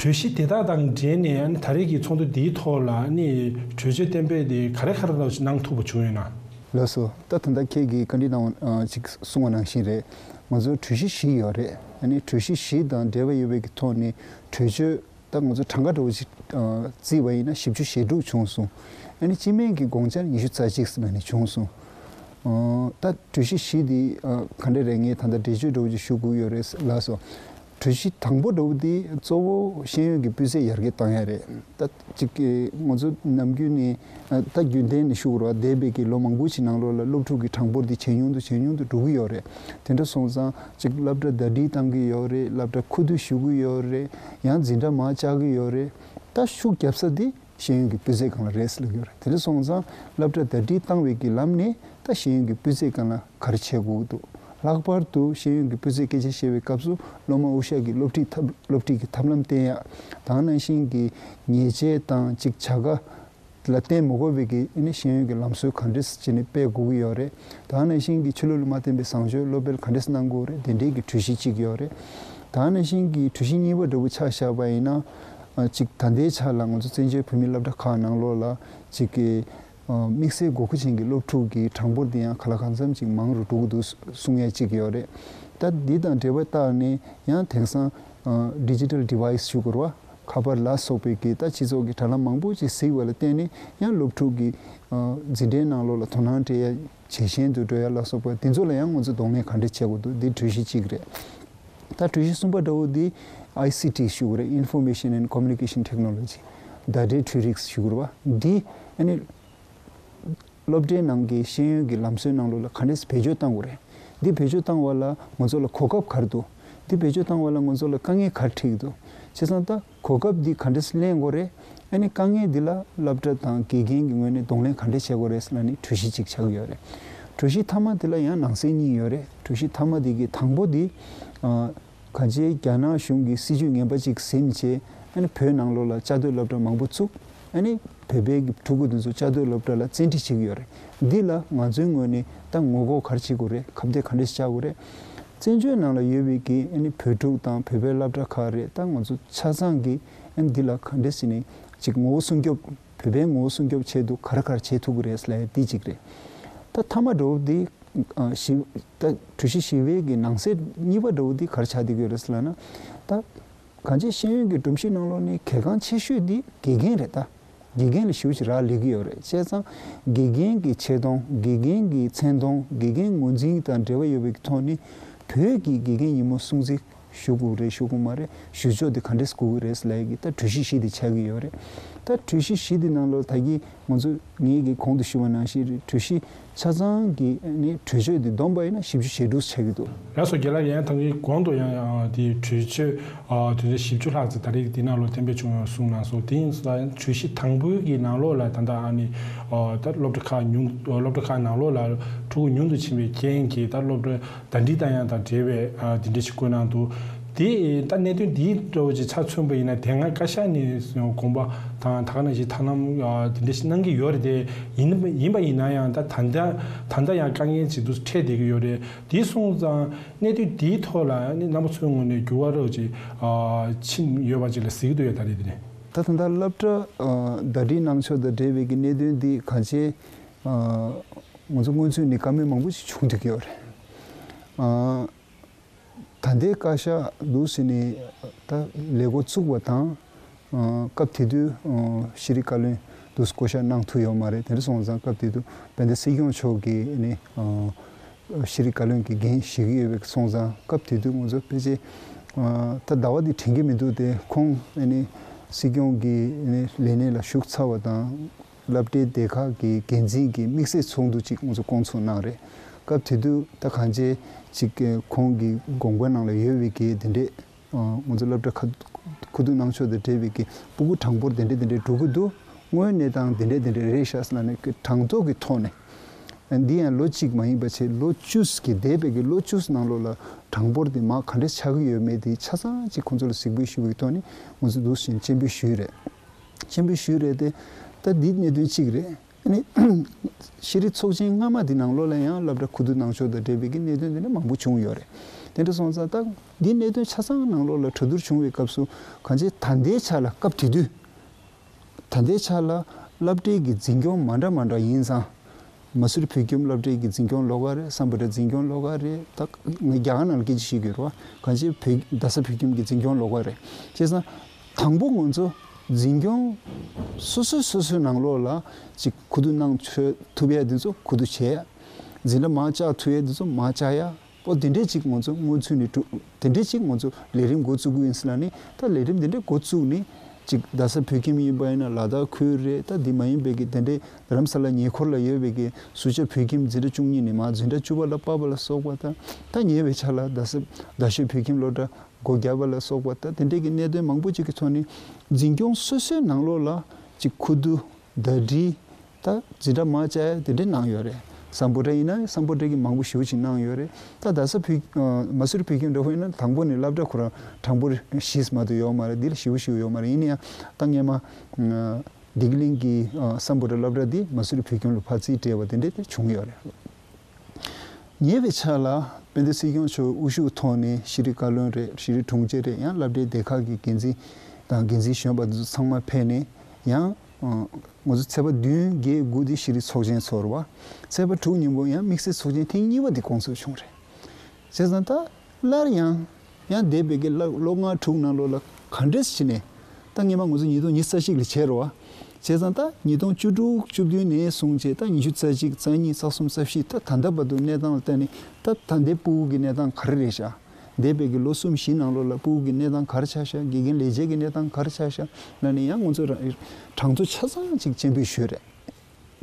གྲོས་གཞི་དེ་དག་དང་འབྲེལ་ནས་ཨ་ནི་ད་རེས་ཀྱི་ཚོགས་འདུ་འདིའི་ཐོག་ལ་ཨ་ནི་གྲོས་ཆོད་གཏན་འབེབས་དེ་ག་རེ་ག་རེ་ལ་གནང་ཐུབ་པ་བྱུང་ཡོད་ན། ལགས་སོ། ད་ད་ལྟ་ཁྱེད་ཀྱིས་བཀའ་འདྲི་གནང་བ་ཅིག་གསུངས་པ་ནང་བཞིན་རེད། ང་ཚོར་གྲོས་གཞི་བཞི་ཡོད་རེད། ཨ་ནི་གྲོས་གཞི་བཞི་དང་འབྲེལ་བ་ཡོད་པའི་གི་ཐོག་ནས་གྲོས་ཆོད་ད་ང་ཚོ་གྲངས་ཀ་འདྲ་བོ་ཅིག་བརྩིས་པ་ཡིན་ན་བཞི་བཅུ་ཞེ་དྲུག་བྱུང་སོང་། ཨ་ནི་སྤྱི་མོས་ཀྱི་དགོངས་འཆར་ཉི་ཤུ་རྩ་གཅིག་ཙམ་ནས་བྱུང་སོང་། ད་གྲོས་གཞི་བཞི་འདི་ག་འདྲ་རེད། ངས་ད་ལྟ་འགྲེལ་བརྗོད་འདྲ་བོ་ཅིག་ཞུ་དགོས་ཡོད་རེད། ལགས་སོ། གྲོས་གཞི་དང་པོ་འདྲ་བོ་དེ་གཙོ་བོ་ཤེས་ཡོན་གྱི་སྤུས་ཚད་ཡར་རྒྱས་གཏོང་ཡ་རེད། ད་ཅིག་གི་ང་ཚོ་ནམ་རྒྱུན་ནས་ད་རྒྱུན་ལྡན་ནས་ཞུ་དགོས་རེད་བ། འདས་པའི་གི་ལོ་མང་པོ་ཞིག་ནང་ལོགས་ལ་སློབ་ཕྲུག་གི་གྲངས་འབོར་དེ་ཇེ་ཉུང་དུ་ཇེ་ཉུང་དུ་འགྲོ་གི་ཡོད་རེད། དེ་འདྲ་སོང་ཙང་ཅིག་སློབ་གྲྭ་ཟླ་སྒྲིལ་གཏང་གི་ཡོད་རེད། སློབ་གྲྭ་ཁུ་བསྡུ་ཞུ་གི་ཡོད་རེད། ཡང་འཛིན་གྲྭ་མང་བཅག་གི་ཡོད་རེད། ད་ཤུགས་རྒྱབ་ས་དེ་ཤེས་ཡོན་གྱི་སྤུས་ཚད་སྒང་ལ་རེད་ཟེར་ལབ་ཀྱི་ཡོད་རེད། དེ་འདྲ་སོང་ཙང་སློབ་གྲྭ་ཟླ་སྒྲིལ་བཏང་བའི་གི་ལམ་ནས་ད་ཤེས་ཡོན་གྱི་སྤུས་ཚད་སྒང་ལ་ག་རེ་བྱེད་དགོས་ཀྱི་འདུག་ལྷག་པར་དུ་ཤེས་ཡོན་གྱི་སྤུས་ཚད་སྐད་ཆ་བཤད་པའི་སྐབས་སུ་སློབ་མ་དབུ་ཞྭ་གི་སློབ་ཁྲིད་ཐབས་སློབ་ཁྲིད་ཀྱི་ཐབས་ལམ་བསྟེན་ཡག་ད་ག་ནང་བཞིན་གྱི་ཉེས་ཆད་དང་ཅིག་བྱ་དགའ་ལ་བརྟེན་མ་དགོས་པའི་གི་ཨ་ནི་ཤེས་ཡོན་གྱི་ལམ་སྲོལ་ག་འདྲས་བྱས་ནས་སྤེལ་དགོས་ཀྱི་ཡོད་རེད། ད་ག་ནང་བཞིན་གྱི་ཆོས་ལུགས་ལ་མ་བརྟེན་པའི་བཟང་སྤྱོད་སློབ་སྤེལ་ག་འདྲས་གནང་དགོས་རེད། དེ་འདྲས་ཀྱི་གྲོས་གཞི་གཅིག་ཡོད་རེད། ད་ག་ནང་བཞིན་གྱི་གྲོས་གཞི་གཉིས་པ་འདྲ་བོ་ཆ་བཞག་པ་ཡིན་ན། ཨ་ཅིག་ད་ལྟའི་ཆ་ལ་ང་ཚོ་བཙན་བྱོལ་བོད་མིའི་སློབ་གྲྭ་ཁག་ནང་ལོགས་ལ་ཅིག་གི་ཨ་དམིགས་བསལ་དགོས་མཁོ་ཅན་གྱི་སློབ་ཕྲུག་གི་གྲངས་འབོར་དེ་ཡང་གང་ལ་གང་འཚམ་ཅིག་མང་རུ་འགྲོ་གི་འདུག་གསུང་ཡ་ཅིག་ཡོད་རེད། ད་འདི་དང་འབྲེལ་བ་བཏགས་ནས་ཡང་དེང་སང་ཨ་digital device་ཞུ་དགོས་རེད་བ། ཁ་པར་ལ་སོགས་པའི་གི་ད་སྤྱི་ཚོགས་ཀྱི་དྲ་ལམ་མང་པོ་ཅིག་གཟིགས་པ་ལ་བརྟེན་ནས་ཡང་སློབ་ཕྲུག་གི་ཨ་འཛིན་གྲྭའི་ནང་ལོགས་ལ་དོ་སྣང་སྤྲད་ཡ་ཇེ་ཞན་དུ་འགྲོ་ཡ་ལ་སོགས་པ་དེ་ཚོ་ལ་ཡང་ང་ཚོས་གདོང་ལེན་ག་འདྲ་བྱེད་དགོས་འདུག་འདི་གྲོས་གཞི་གཅིག་རེད། ད་གྲོས་གཞི་གསུམ་པ་འདྲ་བོ་འདི་I C T་ཞུ་དགོས་རེད། Information and Communication Technology། བརྡ་འཕྲིན་འཕྲུལ་རིག་ཞུ་དགོས་རེད་བ། འདི་ཨ་ནི་སློབ་གྲྭའི་ནང་གི་ཤེས་ཡོན་གྱི་ལམ་སྲོལ་ནང་ལོགས་ལ་ག་འདྲས་བེད་སྤྱོད་གཏང་དགོས་རེད། འདི་བེད་སྤྱོད་གཏང་བ་ལ་ང་ཚོ་ལ་གོ་སྐབས་ག་རེ་འདུག་འདི་བེད་སྤྱོད་གཏང་བ་ལ་ང་ཚོ་ལ་དཀའ་ངལ་ག་རེ་འཕྲད་ཀྱི་འདུག་བྱས་ཙང་ད་གོ་སྐབས་འདི་ག་འདྲས་ལེན་དགོས་རེད། ཨ་ནི་དཀའ་ངལ་འདི་ལ་སློབ་གྲྭ་དང་དགེ་རྒན་གྱི་ངོས་ནས་གདོང་ལེན་ག་འདྲས་བྱེད་དགོས་རེད་ཟེར་ལབ་ནས་གྲོས་གཞི་གཅིག་ཆགས་ཀྱི་ཡོད་རེད། གྲོས་གཞི་མཐའ་མ་འདི་ལ་ཡང་ནང་གསེས་གཉིས་ཡོད་རེད། གྲོས་གཞི་མཐའ་མ་འདི་གི་དང་པོ་འདི་ཨ་གང་ཅིའི་རྒྱ་ནག་གཞུང་གི་སྲིད་ཇུས་ངན་པ་གཅིག་ཟིན་བྱས་ཨ་ནི་བོད་ནང་ལོགས་ལ་བཅའ་སྡོད་སློབ་གྲྭ་མང་པོ་བཙུགས། ཨ་ནི་བོད་པའི་གི་ཕྲུ་གུ་འདི་ཚོ་བཅའ་སྡོད་སློབ་གྲྭ་ལ་བཙན་ཁྲིད་བྱེད་ཀྱི་ཡོད་རེད། འདི་ལ་ང་ཚོའི་ངོས་ནས་ད་ངོ་རྒོལ་ག་རེ་བྱེད་དགོས་རེད། ཁ་གཏད་ག་འདྲས་བཅག་དགོས་རེད། བཙན་བྱོལ་ནང་ལ་ཡོད་པའི་གི་ཨ་ནི་བོད་ཕྲུག་དང་བོད་པའི་སློབ་གྲྭ་ཁག་རེད། ད་ང་ཚོ་ཆ་ཚང་གི་ཨ་ནི་འདི་ལ་ག་འདྲས་ཟེར་ནས་ཅིག་ངོ་བོ་སྲུང་སྐྱོབ། བོད་པའི་ངོ་བོ་སྲུང་སྐྱོབ་ཆེད་དུ་ག་རེ་ག་རེ་བྱེད་ཐུབ་ཀྱི་རེད་ཟེར་ལབ་ཡ་འདི་གཅིག་རེད། ད་མཐའ་མ་འདྲ་བོ་འདི་ཨ་བཞི་ད་གྲོས་གཞི་བཞི་པའི་གི་ནང་གསེས་གཉིས་པ་འདྲ་བོ་འདི་ག་རེ་ཆགས་བསྡད་ཀྱི་ཡོད་རེད་ཟེར་ལབ་ན། ད་གང་ཅི་ཤེས་ཡོན་གྱི་སྒྲོམ་གཞི་ནང་ལོགས་ནས་གལ་འགངས་ཆེ་ཤོས་འདི་དགེ་རྒན་རེད་ད། དགེ་རྒན་ལ་ཞེ་པོ་ཅིག་རག་ལས་ཀྱི་ཡོད་རེད། བྱས་ཙང་དགེ་རྒན་གྱི་ཆེ་མཐོང་། དགེ་རྒན་གྱི་མཚན་མཐོང་། དགེ་རྒན་ངོས་འཛིན་དང་འབྲེལ་བ་ཡོད་པའི་ཐོག་ནས་བོད་ཀྱི་དགེ་རྒན་ཡིན་མོ་སྲུང་བརྩི་ཞུ་དགོས་རེད་ཞུ་དགོས་མ་རེད། ཞུ་ཕྱོགས་དེ་ག་འདྲས་དགོས་ཀྱི་རེད་ལབ་ཡ་གི་ད་གྲོས་གཞི་བཞི་དེ་ཆགས་ཀྱི་ཡོད་རེད། ད་གྲོས་གཞི་བཞི་དེ་ནང་ལོགས་ད་གིན་ང་ཚོ་ངེད་ཀྱིས་གོང་དུ་ཞུས་པ་ནང་བཞིན་རེད། གྲོས་གཞི་ཆ་ཚང་གི་ནི་གྲོས་ཆོད་དེ་བསྡོམས་པ་ཡིན་ན་བཞི་བཅུ་ཞེ་དྲུག་ཆགས་ཀྱི་འདུག་ལགས་སོ། རྒན་ལགས། ཡང་ཐང་གི་གོང་དུ་ཡང་ཡང་དེའི་གྲོས་ཆོད་ཨ་དེ་འདྲ་བཞི་བཅུ་ལྷག་ཙམ་ད་རེས་དེ་ནང་ལོགས་གཏན་འབེབས་བྱུང་ཡོད་གསུངས་གནང་སོང་། དེ་ཡིན་ཙང་གྲོས་གཞི་དང་པོའི་གི་ནང་ལོགས་ལ་ད་ལྟ་ཨ་ནི་ཨ་ད་སློབ་གྲྭ་ཁག་ཉུང་སློབ་གྲྭ་ཁག་ནང་ལོགས་ལ་ཕྲུ་གུ་ཉུང་དུ་ཕྱིན་པའི་རྐྱེན་གྱིས་ད་སློབ་གྲྭ་ཟླ་སྒྲིལ་བཏང་ཡག་དང་འབྲེལ་བའི་ཨ་དེ་འདྲ་ཞིག་བཀོད་གནང་འདུག་དེ་ད་གནད་དོན་འདིའི་འདྲ་བོ་ཅིག་ཆ་མཚོན་པ་ཡིན་ན་དེ་སྔ་བཀའ་ཤག་ནས་དགོངས་པ་དང་ད་ག་ནང་བཞིན་ཐབས་ལམ་ཨ་དེ་འདྲ་ཞིག་གནང་གི་ཡོད་རེད་དེ། ཡིན་ཡིན་པ་ཡིན་ན་ཡང་ད་ད་ལྟ་ད་ལྟ་ཡང་དཀའ་ངལ་ཅིག་འདུག་འཕྲད་བསྡད་ཀྱི་ཡོད་རེད། དེ་སོང་ཙང་གནད་དོན་འདིའི་ཐོག་ལ་ནི་རྣམ་པ་ཚོའི་ངོས་ནས་འགྱུར་བ་རོགས་ཅིག་ཨ་ཕྱིན་ཡོད་པ་ཅིག་ལ་གཟིགས་ཀྱི་འདུག་ཡ། ད་རེད་དེ་ནས། ད་ད་ལྟ་སློབ་གྲྭ་ཨ་ཟླ་སྒྲིལ་གནང་ཕྱོགས་དང་འབྲེལ་བའི་གི་གནད་དོན་འདི་གང་ཅི་ཨ་ང་ཚོ་སྔོན་ཚུད་ནས་བཀའ་མོལ་མང་པོ་ཞིག་བྱུང་བསྡད་ཀྱི་ཡོད་རེད། ཨ་ད་ལྟའི་བཀའ་ཤག་འདུག་ཟེར་ནས་ད་ལས་འགོ་བཙུགས་པ་དང་། ཨ་སྐབས་དེ་དུས་ཨ་ཤེས་རིག་བཀའ་བློན་འདུག་བསྐོ་བཞག་གནང་ཐུབ་ཡོད་མ་རེད། དེ་འདྲ་སོང་ཙང་སྐབས་དེ་དུས་དཔལ་ལྡན་སྲིད་སྐྱོང་མཆོག་གིས་ཨ་ནི་ཨ་ཤེས་རིག་བཀའ་བློན་གྱི་འགན་བཞེས་ཀྱི་ཡོད་པའི་སོང་ཙང་སྐབས་དེ་དུས་ང་ཚོ་ཕལ་ཆེར་ཨ་ད་ཟླ་བ་འདི་དྲན་གྱི་མི་འདུག་སྟེ། ཁོང་ཨ་ནི་སྲིད་སྐྱོང་གི་ཨ་ནི་ལས་གནས་ལ་ཞུགས་ཚར་བ་དང་། སློབ་གྲྭའི་སྡེ་ཁག་གི་འགན་འཛིན་གྱི་དམིགས་བསལ་ཚོགས་འདུ་ཅིག་ང་ཚོ་བསྐོང་ཚོགས་གནང་རེད། སྐབས་དེ་དུས་ད་གང་ཅི་ཅིག་ཁོང་གི་དགོངས་པ་ནང་ལ་ཡོད་པའི་གི་དེ་འདྲས་ང་ཚོ་སློབ་གྲྭ་ཁ་མཁོ་བསྡུ་གནང་ཕྱོགས་དང་འབྲེལ་བའི་གི་སྤུ་གུ་གྲངས་འབོར་དེ་འདྲས་དེ་འདྲས་འགྲོ་གི་འདུག་དངོས་གནས་སྟངས་དེ་འདྲས་དེ་འདྲས་རེད་ཤག་ཟེར་ལབ་ནས་གྲངས་ཐོ་གི་ཐོག་ནས། འདི་ཡང་ལོ་གཅིག་མ་ཡིན་པ་བྱས་ལོ་བཅུ་གི་འདས་པའི་གི་ལོ་བཅུ་ནང་ལོགས་ལ་གྲངས་འབོར་དེ་མར་ག་འདྲས་ཆགས་ཀྱི་ཡོད་མེད་དེ་ཆ་ཚང་ཅིག་ཁོང་ཚོ་ལ་གཟིགས་འབུལ་ཞུ་བའི་ཐོག་ནས་ང་ཚོ་འདུག་བཞིན་སྤྱན་འབུལ་ཞུས་རེད། སྤྱན་འབུལ་ཞུས་རེད་དེ། ད་འདི་གནད་དོན་གཅིག་རེད། ཨ་ནི་ཤེས་རིག་ཚོགས་ཆེན་སྔ་མ་འདི་ནང་ལོགས་ལ་ཡང་སློབ་གྲྭ་ཁུ་བསྡུ་གནང་ཕྱོགས་དང་འབྲེལ་བའི་གི་གནད་དོན་འདི་འདྲ་མང་པོ་བྱུང་ཡོད་རེད། དེ་འདྲ་སོང་ཙང་ད་འདི་གནད་དོན་ཆ་ཚང་ནང་ལོགས་ལ་གྲོས་བསྡུར་བྱུང་བའི་སྐབས་སུ་གང་ཅི་ད་ལྟའི་ཆ་ལ་སྐབས་དེ་དུས། ད་ལྟའི་ཆ་ལ་སློབ་གྲྭའི་གི་འཛིན་སྐྱོང་མ་འདྲ་མ་འདྲ་ཡིན་ཙང་། མ་སུ་རི་བོད་ཁྱིམ་སློབ་གྲྭའི་གི་འཛིན་སྐྱོང་ལོགས་ཀ་རེད། སམ་བྷོ་ཊ་འཛིན་སྐྱོང་ལོགས་ཀ་རེད། ད་ངས་རྒྱ་གར་ནང་ལ་སྐད་ཆ་བཤད་ཀྱི་ཡོད་རེད་བ། གང་ཅི་བོད་རྡ་ས་བོད་ཁྱིམ་གི་འཛིན་སྐྱོང་ལོགས་ཀ་རེད། བྱས་ཙང་། དང་པོ་ང་ཚོ་འཛིན་སྐྱོང་སོ་སོའི་སོ་སོའི་ནང་ལོགས་ལ་ཅིག་མཁོ་བསྡུ་གནང་ཆོག་ཐུབ་ཡ་དེ་ཚོ་མཁོ་བསྡུ་བྱས་ཡ། འཛིན་གྲྭ་མར་བཅག་ཐུབ་ཡ་དེ་ཚོ་མར་བཅག་ཡ། ཨོ་དེ་འདྲས་ཅིག་ང་ཚོ་སྔོན་ཚུད་ནས་གྲུབ། དེ་འདྲས་ཅིག་ང་ཚོ་ལས་རིམ་འགོ་བཙུགས་ཀྱི་ཡིན་ཟེར་ལབ་ནས་ད་ལས་རིམ་དེ་འདྲས་འགོ་བཙུགས་ནས་ཅིག་རྡ་ས་བོད་ཁྱིམ་ཡིན་པ་ཡིན་ན་ལ་དྭགས་ཁུལ་རེད། ད་འདི་མ་ཡིན་པའི་གི་དེ་འདྲས་རྡ་རམ་ས་ལ་ཉེ་འཁོར་ལ་ཡོད་པའི་གི་ཟུར་བཅད་བོད་ཁྱིམ་འཛིན་གྲྭ་བཅུ་གཉིས་ནས་མར་འཛིན་གྲྭ་བཅུ་པ་ལ་བབས་པ་ལ་སོགས་པ་དང་ད་ཉེ་བའི་ཆར་ལ་རྡ་ས་རྡ་ཤོད་བོད་ཁྱིམ་སློབ་གྲྭ་སྒོ་བརྒྱབ་པ་ལ་སོགས་པ་ད་དེ་འདྲས་ཀྱི་གནད་དོན་མང་པོ་ཅིག་གི་ཐོག་ནས་འཛིན་སྐྱོང་སོ་སོའི་ནང་ལོགས་ལ་ཅིག་ཁུ་བསྡུ། ཟླ་སྒྲིལ། ད་འཛིན་གྲྭ་མར་བཅག་ཡ་དེ་འདྲས་གནང་ཡོད་རེད། སམ་བྷོ་ཊ་ཡིན་ན་སམ་བྷོ་ཊ་གི་མང་པོ་ཞེ་པོ་ཅིག་གནང་ཡོད་རེད། ད་རྡ་ས་བོད་ཨ་མ་སུ་རི་བོད་ཁྱིམ་འདྲ་བོ་ཡིན་ན་དང་པོ་ནས་སློབ་གྲྭ་ཁོ་རང་གྲངས་འབོར་བཞི་ཙམ་མ་གཏོགས་ཡོད་མ་རེད། འདི་ལ་ཞེ་པོ་ཞེ་པོ་ཡོད་མ་རེད། ཡིན་ན་ཡང་ད་སྔས་མ་ཨ་བདེ་སྐྱིད་གླིང་གི་ཨ་སམ་བྷོ་ཊ་སློབ་གྲྭ་འདི་མ་སུ་རི་བོད་ཁྱིམ་ལ་ཕར་རྩིས་སྤྲད་པ་དེ་འདྲས་དེ་བྱུང་ཡོད་རེད། ཉེ་བའི་ཆར་ལ་དཔལ་ལྡན་སྲིད་སྐྱོང་མཆོག་དབུ་བཞུགས་ཐོག་ནས་ཤེས་རིག་བཀའ་བློན་རེད། ཤེས་རིག་དྲུང་ཆེ་རེད། ཡང་སློབ་གྲྭའི་སྡེ་ཁག་གི་འགན་འཛིན་ དང་འགན་འཛིན་གཞོན་པ་འདི་ཚོ་ཚང་མ་ཕེབས་ནས་ཡང་ང་ཚོ་ཚེས་པ་བདུན་བརྒྱད་དགུ་དེ་ཤེས་རིག་ཚོགས་ཆེན་ཚོགས་རེད་བ། ཚེས་པ་དྲུག་ཉིན་མོ་ཡང་དམིགས་བསལ་ཚོགས་ཆེན་ཐེངས་གཉིས་པ་དེ་སྐོང་ཚོགས་བྱུང་རེད། བྱས་ཙང་ད་སླར་ཡང་ཡང་འདས་པའི་གི་ལོ་ལོ་ལྔ་དྲུག་ནང་ལོགས་ལ་ག་འདྲས་བྱས་ནས་ད་སྔོན་མ་ང་ཚོ་ཉིས་སྟོང་ཉི་ཤུ་རྩ་གཅིག་ལ་བྱས་རེད་བ། བྱས་ཙང་ད་ཉིས་སྟོང་བཅུ་དྲུག་བཅུ་བདུན་ནས་བཟུང་བྱས་ད་ཉི་ཤུ་རྩ་གཅིག་རྩ་གཉིས་རྩ་གསུམ་རྩ་བཞི་ད་ད་ལྟ་བར་དུ་གནས་སྟངས་ལ་བལྟས་ནས་ད་ད་ལྟའི་ཕྲུ་གུ་གི་གནས་སྟངས་ག་རེ་རེད་ཤག་འདས་པའི་གི་ལོ་གསུམ་བཞི་ནང་ལོགས་ལ་ཕྲུ་གུ་གི་གནས་སྟངས་ག་རེ་ཆགས་ཤག་དགེ་རྒན་ལས་བྱེད་ཀྱི་གནས་སྟངས་ག་རེ་ཆགས་ཤག་ལབ་ནས་ཡང་ང་ཚོ་རང་གྲངས་ཚོད་ཆ་ཚང་ཅིག་སྤྱན་འབུལ་ཞུས་རེད།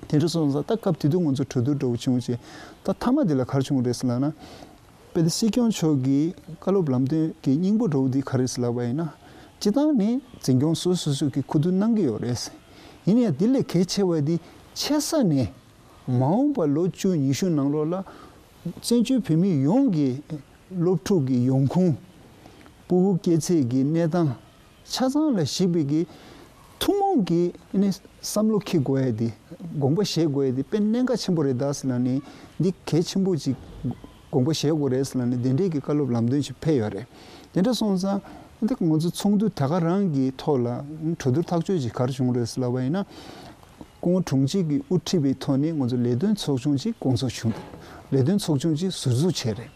དེ་འདྲ་སོང་ཙང་ད་སྐབས་དེ་དུས་ང་ཚོ་གྲོས་བསྡུར་འདྲ་བོ་བྱུང་རྗེས་ད་མཐའ་མ་དེ་ལ་ག་རེ་བྱུང་རེད་ཟེར་ལབ་ན། དཔལ་ལྡན་སྲིད་སྐྱོང་མཆོག་གི་བཀའ་སློབ་ལམ་སྟོན་གྱི་སྙིང་པོ་འདྲ་བོ་འདི་ག་རེ་ཟེར་ལབ་པ་ཡིན་ན། སྤྱིར་བཏང་ནི་འཛིན་སྐྱོང་སོ་སོ་སོ་གི་ཁུ་བསྡུ་གནང་གི་ཡོད་རེད། ཡིན་ཡང་དེ་ལས་གལ་ཆེ་བ་འདི་ཆེ་ས་ནས། མ་འོངས་པ་ལོ་བཅུ་ཉི་ཤུ་ནང་ལོགས་ལ་བཙན་བྱོལ་བོད་མི་ཡོངས་ཀྱི་སློབ་ཕྲུག་གི་ཡོང་ཁུངས། ཕྲུ་གུ་སྐྱེས་ཚད་ཀྱི་གནས་སྟངས་ཆ་ཚང་ལ་གཞིགས་པའི་གི་ཐུན་མོང་གི་ནི་བསམ་བློ་འཁྱེར་དགོས་ཡ་དེ་དགོངས་པ་བཞེས་དགོས་ཡ་དེ་དཔེ་གནད་འགག་ཆེན་པོ་རེད་ད་ཟེར་ལབ་ནས་འདི་གལ་ཆེན་པོ་ཅིག་དགོངས་པ་བཞེས་དགོས་རེད་ཟེར་ལབ་ནས་དེ་འདྲའི་གི་བཀའ་སློབ་ལམ་སྟོན་ཅིག་ཕེབས་ཡོད་རེད། དེ་འདྲ་སོང་ཙང་འདི་ང་ཚོ་ཚོགས་འདུ་ད་ག་རང་གི་ཐོག་ལ་གྲོས་བསྡུར་ཐག་གཅོད་ཅིག་ག་རེ་བྱུང་རེད་ཟེར་ལབ་པ་ཡིན་ན། སྐུ་ངོ་དྲུང་ཆེ་གིས་དབུ་ཁྲིད་པའི་ཐོག་ནས་ང་ཚོ་ལས་དོན་ཚོགས་ཆུང་ཅིག་སྐོང་ཚོགས་བྱུང་འདུག་ལས་དོན་ཚོགས་ཆུང་ཅིག་ཟུར་འཛུགས་བྱས་རེད།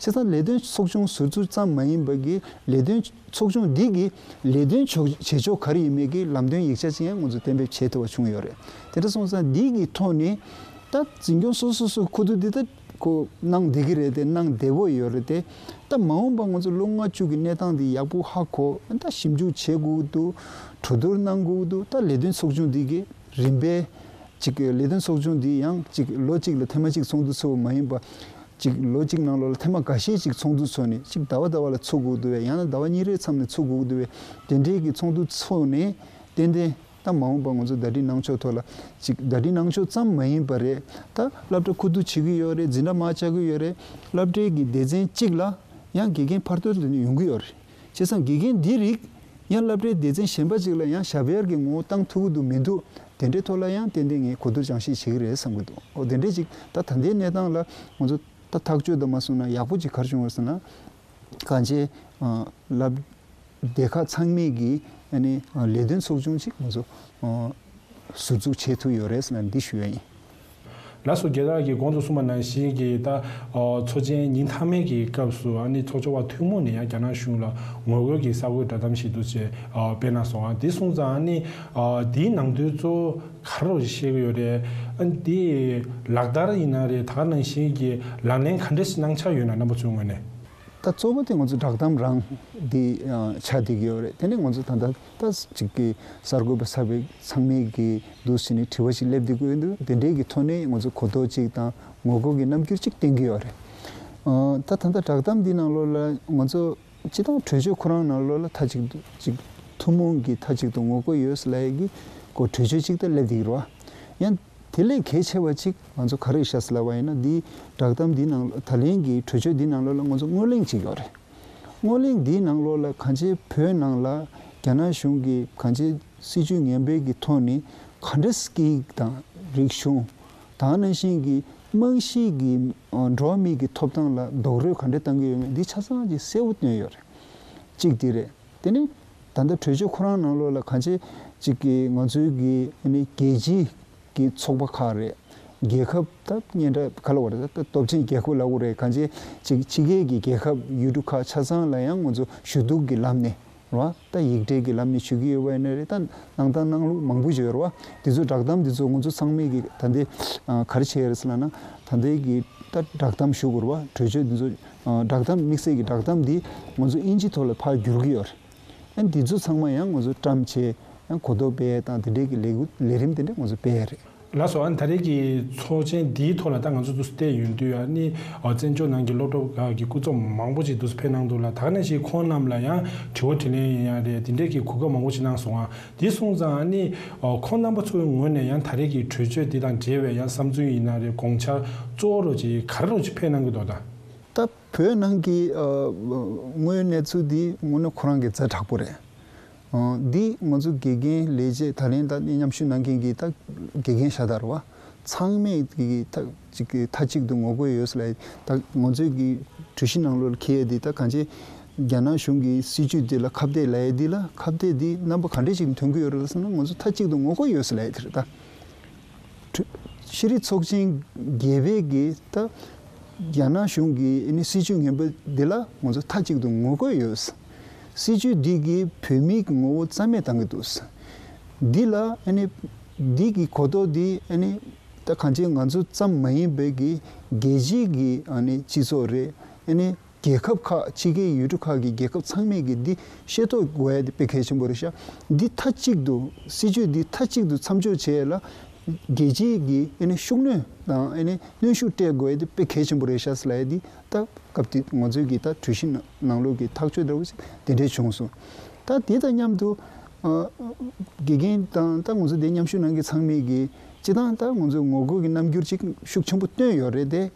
བྱས་ཙང་ལས་དོན་ཚོགས་ཆུང་ཟུར་འཛུགས་ཙམ་མ་ཡིན་པ་གི་ལས་དོན་ཚོགས་ཆུང་འདི་གི་ལས་དོན་ཕྱོགས་བྱེད་ཕྱོགས་ག་རེ་ཡིན་མིན་གི་ལམ་སྟོན་ཡིག་ཆ་ཅིག་ཡང་ང་ཚོ་གཏན་འབེབས་བྱེད་ཐུབ་པ་བྱུང་ཡོད་རེད། དེ་འདྲ་སོང་ཙང་འདི་གི་ཐོག་ནས་ད་འཛིན་སྐྱོང་སོ་སོ་སོ་ཁུ་བསྡུ་འདི་ད་ཁོ་གནང་བསྡད་ཀྱི་རེད་དེ་གནང་བདེ་པོ་ཡོད་རེད་དེ། ད་མ་འོངས་པ་ང་ཚོ་ལོ་ལྔ་བཅུ་གི་གནས་སྟངས་འདི་ཡག་པོ་ཧ་གོ་ད་ཞིབ་འཇུག་བྱེད་དགོས་འདུག་གྲོས་བསྡུར་གནང་དགོས་འདུག་ད་ལས་དོན་ཚོགས་ཆུང་འདི་གི་རིམ་པས་ཅིག་ལས་དོན་ཚོགས་ཆུང་འདི་ཡང་ཅིག་ལོ་གཅིག་ལ་ཐེངས་མ་གཅིག་ཚོགས་འདུ་ཚོགས་པ་མ་ཡིན་པ། ཅིག་ལོ་གཅིག་ནང་ལོགས་ལ་ཐེངས་མ་འགའ་ཤས་ཅིག་ཚོགས་འདུ་ཚོགས་ནས་ཅིག་ཟླ་བ་ཟླ་བ་ལ་ཚོགས་དགོས་འདུག་བས། ཡང་ན་ཟླ་བ་གཉིས་རེའི་མཚམས་ནས་ཚོགས་དགོས་འདུག་བས། དེ་འདྲའི་གི་ཚོགས་འདུ་ཚོགས་ནས་ཏན་ཏན་ད་མ་འོངས་པ་ང་ཚོ་ཟླ་སྒྲིལ་གནང་ཕྱོགས་ཐོག་ལ་ཅིག་ཟླ་སྒྲིལ་གནང་ཕྱོགས་ཙམ་མ་ཡིན་པ་རེད། ད་སློབ་གྲྭ་ཁུ་བསྡུ་བྱེད་ཀྱི་ཡོད་རེད། འཛིན་གྲྭ་མར་བཅག་གི་ཡོད་རེད། སློབ་གྲྭའི་གི་སྡེ་ཚན་གཅིག་ལ་ཡང་དགེ་རྒན་ཕར་ཚུར་དུ་ཡོང་གི་ཡོད་རེད། བྱས་ཙང་དགེ་རྒན་འདི་རིགས་ཡང་སློབ་གྲྭའི་སྡེ་ཚན་གཞན་པ་ཅིག་ལ་ཡང་ཞབས་གཡར་གྱི་ངོ་བོ་བཏང་ཐུབ་ཀྱི་འདུག་མི་འདུག་དེ་འདྲའི་ཐོག་ལ་ཡང་ཏན་ཏན་ངས་གོ་བསྡུར་སྦྱང་བཤད་བྱེད་ཀྱི་རེད་བསམ་གྱི་འདུག་འོ་དེ་འདྲའི་ཅིག་ད་ད་ལྟའི་གནས་སྟངས་ལ་ང་ཚོ་ད་ཐག་གཅོད་དང་མ་སོང་ན་ཡག་པོ་ཅིག་ག་རེ་བྱུང་བ་ཟེར་ན། གང་ཅི་ལབ་སྡེ་ཁག་ཚང་མས་ཀྱི་ཨ་ནི་ལས་དོན་ཚོགས་ཆུང་ཅིག་ང་ཚོ་ཟུར་འཛུགས་བྱེད་ཐུབ་ཡོད་རེད་ཟེར་ན་འདི་ཞུ་ཡ་ཡིན། ལགས་སོ། རྒྱལ་བ་གིས་གོང་དུ་གསུངས་པ་ནང་བཞིན་གྱི་ད་ཚོགས་ཆེན་ཉིན་མཐའ་མའི་གི་སྐབས་སུ་ཨ་ནི་ཚོགས་ཆུང་བ་ཐུན་མོང་ནས་ཡང་རྒྱ་ནག་གཞུང་ལ་ངོ་རྒོལ་གྱི་གསར་འགོད་བསྒྲགས་གཏམ་ཞིག་འདུག་ཅེས་སྤེལ་གནང་སོང་། ཨ་འདི་སོང་ཙང་ཨ་ནི་འདིའི་ནང་དོན་གཙོ་བོ་ག་རེ་བཤད་ཀྱི་ཡོད་རེད། ཨ་འདི་ལག་བསྟར་ཡིན་ན་རེད། ད་ག་ནང་བཞིན་གྱི་ལག་ལེན་ག་འདྲས་ཤིག་གནང་འཆར་ཡོད་ན་རྣམ་པ་ཚོའི་ངོས་ནས། ད་གཙོ་བོ་དེ་ང་ཚོ་བསྒྲགས་གཏམ་རང་འདི་ཆགས་བསྡད་ཀྱི་ཡོད་རེད། དེ་ནས་ང་ཚོ་ད་ལྟ་ད་ཅིག་གི་གསར་འགོད་པ་གསར་པའི་ཚང་མས་ཀྱི་འདུག་ཟེར་ནས་དྲི་བ་ཞིག་སླེབས་བསྡད་ཀྱི་ཡོད་འདུག་དེ་འདྲའི་གི་ཐོག་ནས་ང་ཚོ་གོ་རྟོགས་ཅིག་དང་ངོ་རྒོལ་གྱི་རྣམ་འགྱུར་ཅིག་བསྟན་གྱི་ཡོད་རེད། ཨ་ད་ད་ལྟ་བསྒྲགས་གཏམ་འདི་ནང་ལོགས་ལ་ང་ཚོ་སྤྱི་བཏང་གྲོས་ཆོད་ཁོ་རང་ནང་ལོགས་ལ་མཐའ་གཅིག་ཏུ་ཅིག་ཐུན་མོང་གི་མཐའ་གཅིག་ཏུ་ངོ་རྒོལ་ཡོད་ཟེར་ལབ་ཡས་ཀྱི་གོ་གྲོས་ཆོད་ཅིག་ད་སླེབས་བསྡད་ཀྱི་རེད་བ། ཡང་དེ་ལས་གལ་ཆེ་བ་ཅིག་ང་ཚོ་ག་རེ་ཤག་ཟེར་ལབ་པ་ཡིན་ན། འདིའི་བསྒྲགས་གཏམ་འདི་ནང་ད་ལན་གྱི་གྲོས་ཆོད་འདི་ནང་ལོགས་ལ་ང་ཚོ་སྔོན་གླེང་ཅིག་ཡོད་རེད། སྔོན་གླེང་འདིའི་ནང་ལོགས་ལ་གང་ཅི་བོད་ནང་ལ་རྒྱ་ནག་གཞུང་གིས་གང་ཅི་སྲིད་བྱུས་ངན་པའི་གི་ཐོག་ནས་ག་འདྲ་སྐད་ཡིག་དང་རིག་གཞུང་དང་ནང་བཞིན་གྱི་རྨང་གཞིའི་གི་འགྲོ་བ་མིའི་གི་ཐོབ་ཐང་ལ་རྡོག་རོལ་ག་འདྲ་བཏང་གི་ཡོད་མེད་འདི་ཆ་ཚང་ཅིག་གསལ་པོ་བཏོན་ཡོད་རེད། གཅིག་འདི་རེད། དེ་ནས་ད་ལྟ་གྲོས་ཆོད་ཁོ་རང་ནང་ལོགས་ལ་གང་ཅི་ཅིག་གི་ང་ཚོའི་གི་ཨ་ནི་རྒྱལ་སྤྱིའི་གི་ཚོགས་པ་ཁག་རེད། རྒྱལ་ཁབ་ད་སྙན་གྲགས་ག་ལ་བ་རེད། ད་སྟོབས་ཆེན་རྒྱལ་ཁབ་ལབ་དགོས་རེད། གང་ཅི་ཅིག་ཕྱི་རྒྱལ་གྱི་རྒྱལ་ཁབ་ཡུལ་གྲུ་ཁག་ཆ་ཚང་ལ་ཡང་ང་ཚོ་ཞུ་གཏུག་གི་ལམ་ནས་རེད་བ། ད་ཡིག་ཕྲེང་གི་ལམ་ནས་ཞུ་གི་ཡོད་པ་ཡིན་ན་རེད། ད་གནང་སྟངས་གནང་ལུགས་མང་པོ་ཞིག་ཡོད་རེད་བ། དེ་ཚོ་བསྒྲགས་གཏམ་དེ་ཚོ་ང་ཚོ་ཚང་མས་གི་ད་ལྟའི་ཨ་ག་རེ་བྱས་ཡོད་རེད་ཟེར་ལབ་ན། ད་ལྟའི་གི་ད་བསྒྲགས་གཏམ་ཞུ་དགོས་རེད་བ། གྲོས་ཆོད་དེ་ཚོ་ཨ་བསྒྲགས་གཏམ་དམིགས་བསལ་གྱི་བསྒྲགས་གཏམ་འདི་ང་ཚོ་དབྱིན་ཇི་ཐོག་ལ་ཕར་བསྒྱུར་གྱི་ཡོད་རེད། ཨ་འདི་ཚོ་ཚང་མ་ཡང་ང་ཚོ་བཀྲམ་བྱས་ཡང་གོ་རྟོགས་སྤེལ་དང་དེ་འདྲའི་གི་ལས་འགུལ་ལས་རིམ་དེ་འདྲ་ང་ཚོ་སྤེལ་ཡ་རེད། ལགས་སོ། ཨ་ནི་ད་རེས་ཀྱི་ཚོགས་ཆེན་འདིའི་ཐོག་ལ་ད་ང་ཚོ་འདུག་སེ་བལྟས་ཡོང་དུས་ཨ་ནི་ཨ་བཙན་བྱོལ་ནང་གི་སློབ་གྲྭ་ཁག་གི་སྐུ་ཚབ་མང་པོ་ཅིག་འདུག་སེ་ཕེབས་གནང་འདུག་ལ། ད་ག་ནང་བཞིན་ཁོང་རྣམས་ལ་ཡང་དྲི་བ་དྲིས་ལན་ཡིན་ཡང་རེད། དེ་འདྲའི་གི་གོ་སྐབས་མང་པོ་ཅིག་གནང་སོང་ཨ། དེ་སོང་ཙང་ཨ་ནི་ཨ་ཁོང་རྣམ་པ་ཚོའི་ངོས་ནས་ཡང་ད་རེས་ཀྱི་གྲོས་ཆོད་འདི་དང་འབྲེལ་བའི་ཡང་བསམ་ཚུལ་ཡིན་ན་རེད། དགོངས་འཆར་གཙོ་བོ་རོ་ཅིག་ག་རེ་རོ་ཅིག་ཕེབས་གནང་གི་འདུག་ད། ད་བོད་ནང་གི་ཨ་དངོས་ཡོད་གནས་ཚུལ་འདི་དངོས་གནས་ཁོ་རང་གི་ཛ་དྲག་པོ་རེད། ཨ་འདི་ང་ཚོ་དགེ་རྒན་ལས་བྱེད་ད་ལན་ད་མཉམ་ཞུགས་གནང་མཁན་གྱི་ད་དགེ་རྒན་ཤ་སྟག་རེད་བ། ཚང་མས་ཀྱི་ད་ཅིག་གི་མཐའ་གཅིག་ཏུ་ངོ་རྒོལ་ཡོད་ཟེར་ལ། ད་ང་ཚོའི་གི་གྲོས་གཞི་ནང་ལོགས་ལ་འཁེལ་ཡས་འདི་ད་གང་ཅི་ རྒྱ་ནག་གཞུང་གི་སྲིད་ཇུས་འདི་ལ་ཁ་གཏད་ལབ་ཡས་འདི་ལ་ཁ་གཏད་འདི་རྣམ་པ་ག་འདྲས་ཅིག་ཐོན་གྱི་ཡོད་རེད་ཟེར་ན། ང་ཚོ་མཐའ་གཅིག་ཏུ་ངོ་རྒོལ་ཡོད་ཟེར་ལབ་ཡས་དེ་རེད་ད། ཤེས་རིག་ཚོགས་ཆེན་བརྒྱད་པའི་གི་ད་རྒྱ་ནག་གཞུང་གི་ཨ་ནི་སྲིད་ཇུས་ངན་པ་འདི་ལ་ང་ཚོ་མཐའ་གཅིག་ཏུ་ངོ་རྒོལ་ཡོད། སྲིད་ཇུས་འདི་གིས་བོད་མིའི་གི་ངོ་བོ་རྩ་མེད་བཏང་གི་འདུག། འདི་ལ་ཨ་ནི་འདི་གི་གོ་རྟོགས་འདི་ཨ་ནི་ད་གང་ཅི་ང་ཚོ་ཙམ་མ་ཡིན་པའི་གི་རྒྱལ་སྤྱིའི་གི་ཨ་ནི་སྤྱི་ཚོགས་རེད། ཨ་ནི་རྒྱལ་ཁབ་ཁག་ཕྱི་རྒྱལ་ཡུལ་གྲུ་ཁག་གི་རྒྱལ་ཁབ་ཚང་མས་ཀྱི་འདི་ཤེས་རྟོགས་དགོས་ཡ་དེ་དཔེ་གལ་ཆེན་པོ་རེད་ཤག། འདི་མཐའ་གཅིག་ཏུ་སྲིད་ཇུས་འདི་མཐའ་གཅིག་ཏུ་མཚམས་འཇོག་བྱས་ལ་རྒྱལ་སྤྱིའི་གི་ཨ་ནི་ཤུགས་སྣོན་དང་ཨ་ནི་གནོན་ཤུགས་སྤྲད་དགོས་ཡ་དེ་དཔེ་གལ་ཆེན་པོ་རེད་ཤག་ཟེར་ལབ་ཡ་འདི་ད་སྐབས་དེ་ང་ཚོའི་གི་ད་གྲོས་གཞི་ནང་ལོགས་ཀྱི་ཐག་གཅོད་འདྲ་བོ་ཞིག་དེ་འདྲས་བྱུང་སོང་། ད་དེ་དང་མཉམ་དུ་ཨ་དགེ་རྒན་དང་ད་ང་ཚོ་དེ་མཉམ་ཞུགས་གནང་མཁན་ཚང་མས་གི་སྤྱིར་བཏང་ད་ང་ཚོས་ངོ་རྒོལ་གྱི་རྣམ་འགྱུར་ཅིག་ཤུགས་ཆེན་པོ་བཏོན་ཡོད་རེད་དེ།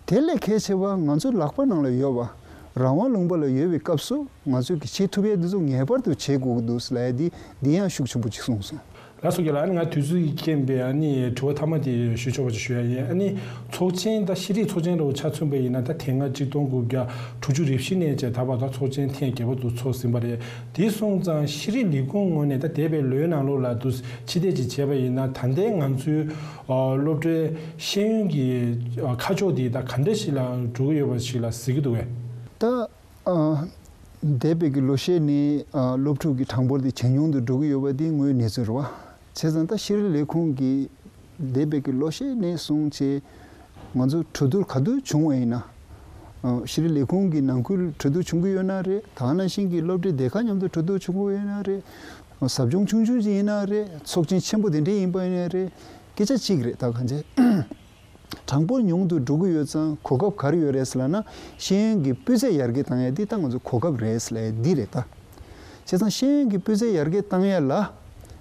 དེ་ལས་གལ་ཆེ་བ་ང་ཚོའི་ལག་པ་ནང་ལ་ཡོད་པ་རང་དབང་ལུང་པ་ལ་ཡོད་པའི་སྐབས་སུ་ང་ཚོས་ཀྱི་བྱེད་ཐུབ་ཡས་འདི་ཚོ་ངེས་པར་དུ་བྱེད་དགོས་ཀྱི་འདུག་ཟེར་ལབ་ཡས་འདི་འདི་ཡང་ཤུགས་ཆེན་པོ་ཅིག་གསུངས་སོང་། ལགས་སོ་རྒན་ལགས། ཨ་ནི་ང་དུས་ཚོད་ཀྱི་རྐྱེན་པས་ཨ་ནི་དྲི་བ་མཐའ་མ་དེ་ཞུ་ཆོག་པ་ཅིག་ཞུ་ཡ་ཡིན། ཨ་ནི་ཚོགས་ཆེན་ད་ཤེས་རིག་ཚོགས་ཆེན་ལ་ཆ་མཚོན་པ་ཡིན་ན་ད་དེ་སྔ་གཅིག་སྟོང་དགུ་བརྒྱ་དྲུག་ཅུ་རེ་བཞི་ནས་བྱས་ད་བར་ད་ཚོགས་ཆེན་ཐེངས་བརྒྱད་པ་དུ་ཚོགས་ཟིན་པ་རེད། དེ་སོང་ཙང་ཤེས་རིག་ལས་ཁུངས་ངོས་ནས་ད་འདས་པའི་ལོའི་ནང་ལོགས་ལ་དུ་ཕྱི་བལྟས་ཅིག་བྱས་པ་ཡིན་ན་ད་ལྟའི་ང་ཚོའི་ཨ་སློབ་གྲྭའི་ཤེས་ཡོན་གྱི་ཨ་ཁ་ཕྱོགས་དེ་ད་ག་འདྲ་ཞིག་ལ་འགྲོ་གི་ཡོད་པ་ཞིག་ལ་གཟིགས་ཀྱི་འདུག་གས། ད་ཨ་འདས་པའི་གི་ལོ་ཤས་ནས་ཨ་སློབ་ཕྲུག་གི་གྲངས་འབོར་དེ་ཇེ་ཉུང་དུ་འགྲོ་གི་ཡོད་པ་དེ་དངོས་ཡོད་གནས་ཚུལ་རེད་བ། བྱས་ཙང་ད་ཤེས་རིག་ལས་ཁུངས་ཀྱིས་འདས་པའི་གི་ལོ་ཤས་ནས་བཟུང་བྱས་ང་ཚོ་གྲོས་བསྡུར་ག་དུས་བྱུང་བ་ཡིན་ན། ཨ་ཤེས་རིག་ལས་ཁུངས་ཀྱི་ནང་ཁུལ་གྲོས་བསྡུར་བྱུང་གི་ཡོད་ན་རེད། ད་ག་ནང་བཞིན་གྱི་སློབ་གྲྭའི་སྡེ་ཁག་མཉམ་དུ་གྲོས་བསྡུར་བྱུང་གི་ཡོད་ན་རེད། ཟབ་སྦྱོང་ཆུང་ཆུང་ཅིག་ཡིན་ན་རེད། ཚོགས་ཆེན་ཆེན་པོ་དེ་འདྲ་ཡིན་པ་ཡིན་ན་རེད། སྐད་ཆ་གཅིག་རེད། ད་གང་བྱས། གྲངས་འབོར་ཉུང་དུ་འགྲོ་གི་ཡོད་ཙང་གོ་སྐབས་ག་རེ་ཡོད་རེད་ཟེར་ལབ་ན། ཤེས་ཡོན་གྱི་སྤུས་ཚད་ཡར་རྒྱས་བཏང་ཡ་འདི་ད་ང་ཚོ་གོ་སྐབས་རེད་ཟེར་ལབ་ཡ་འདི་རེད་ད། བྱས་ཙང་ཤེས་ཡོན་གྱི་སྤུས་ཚད་ཡར་རྒྱས་བཏང་ཡ་ལ་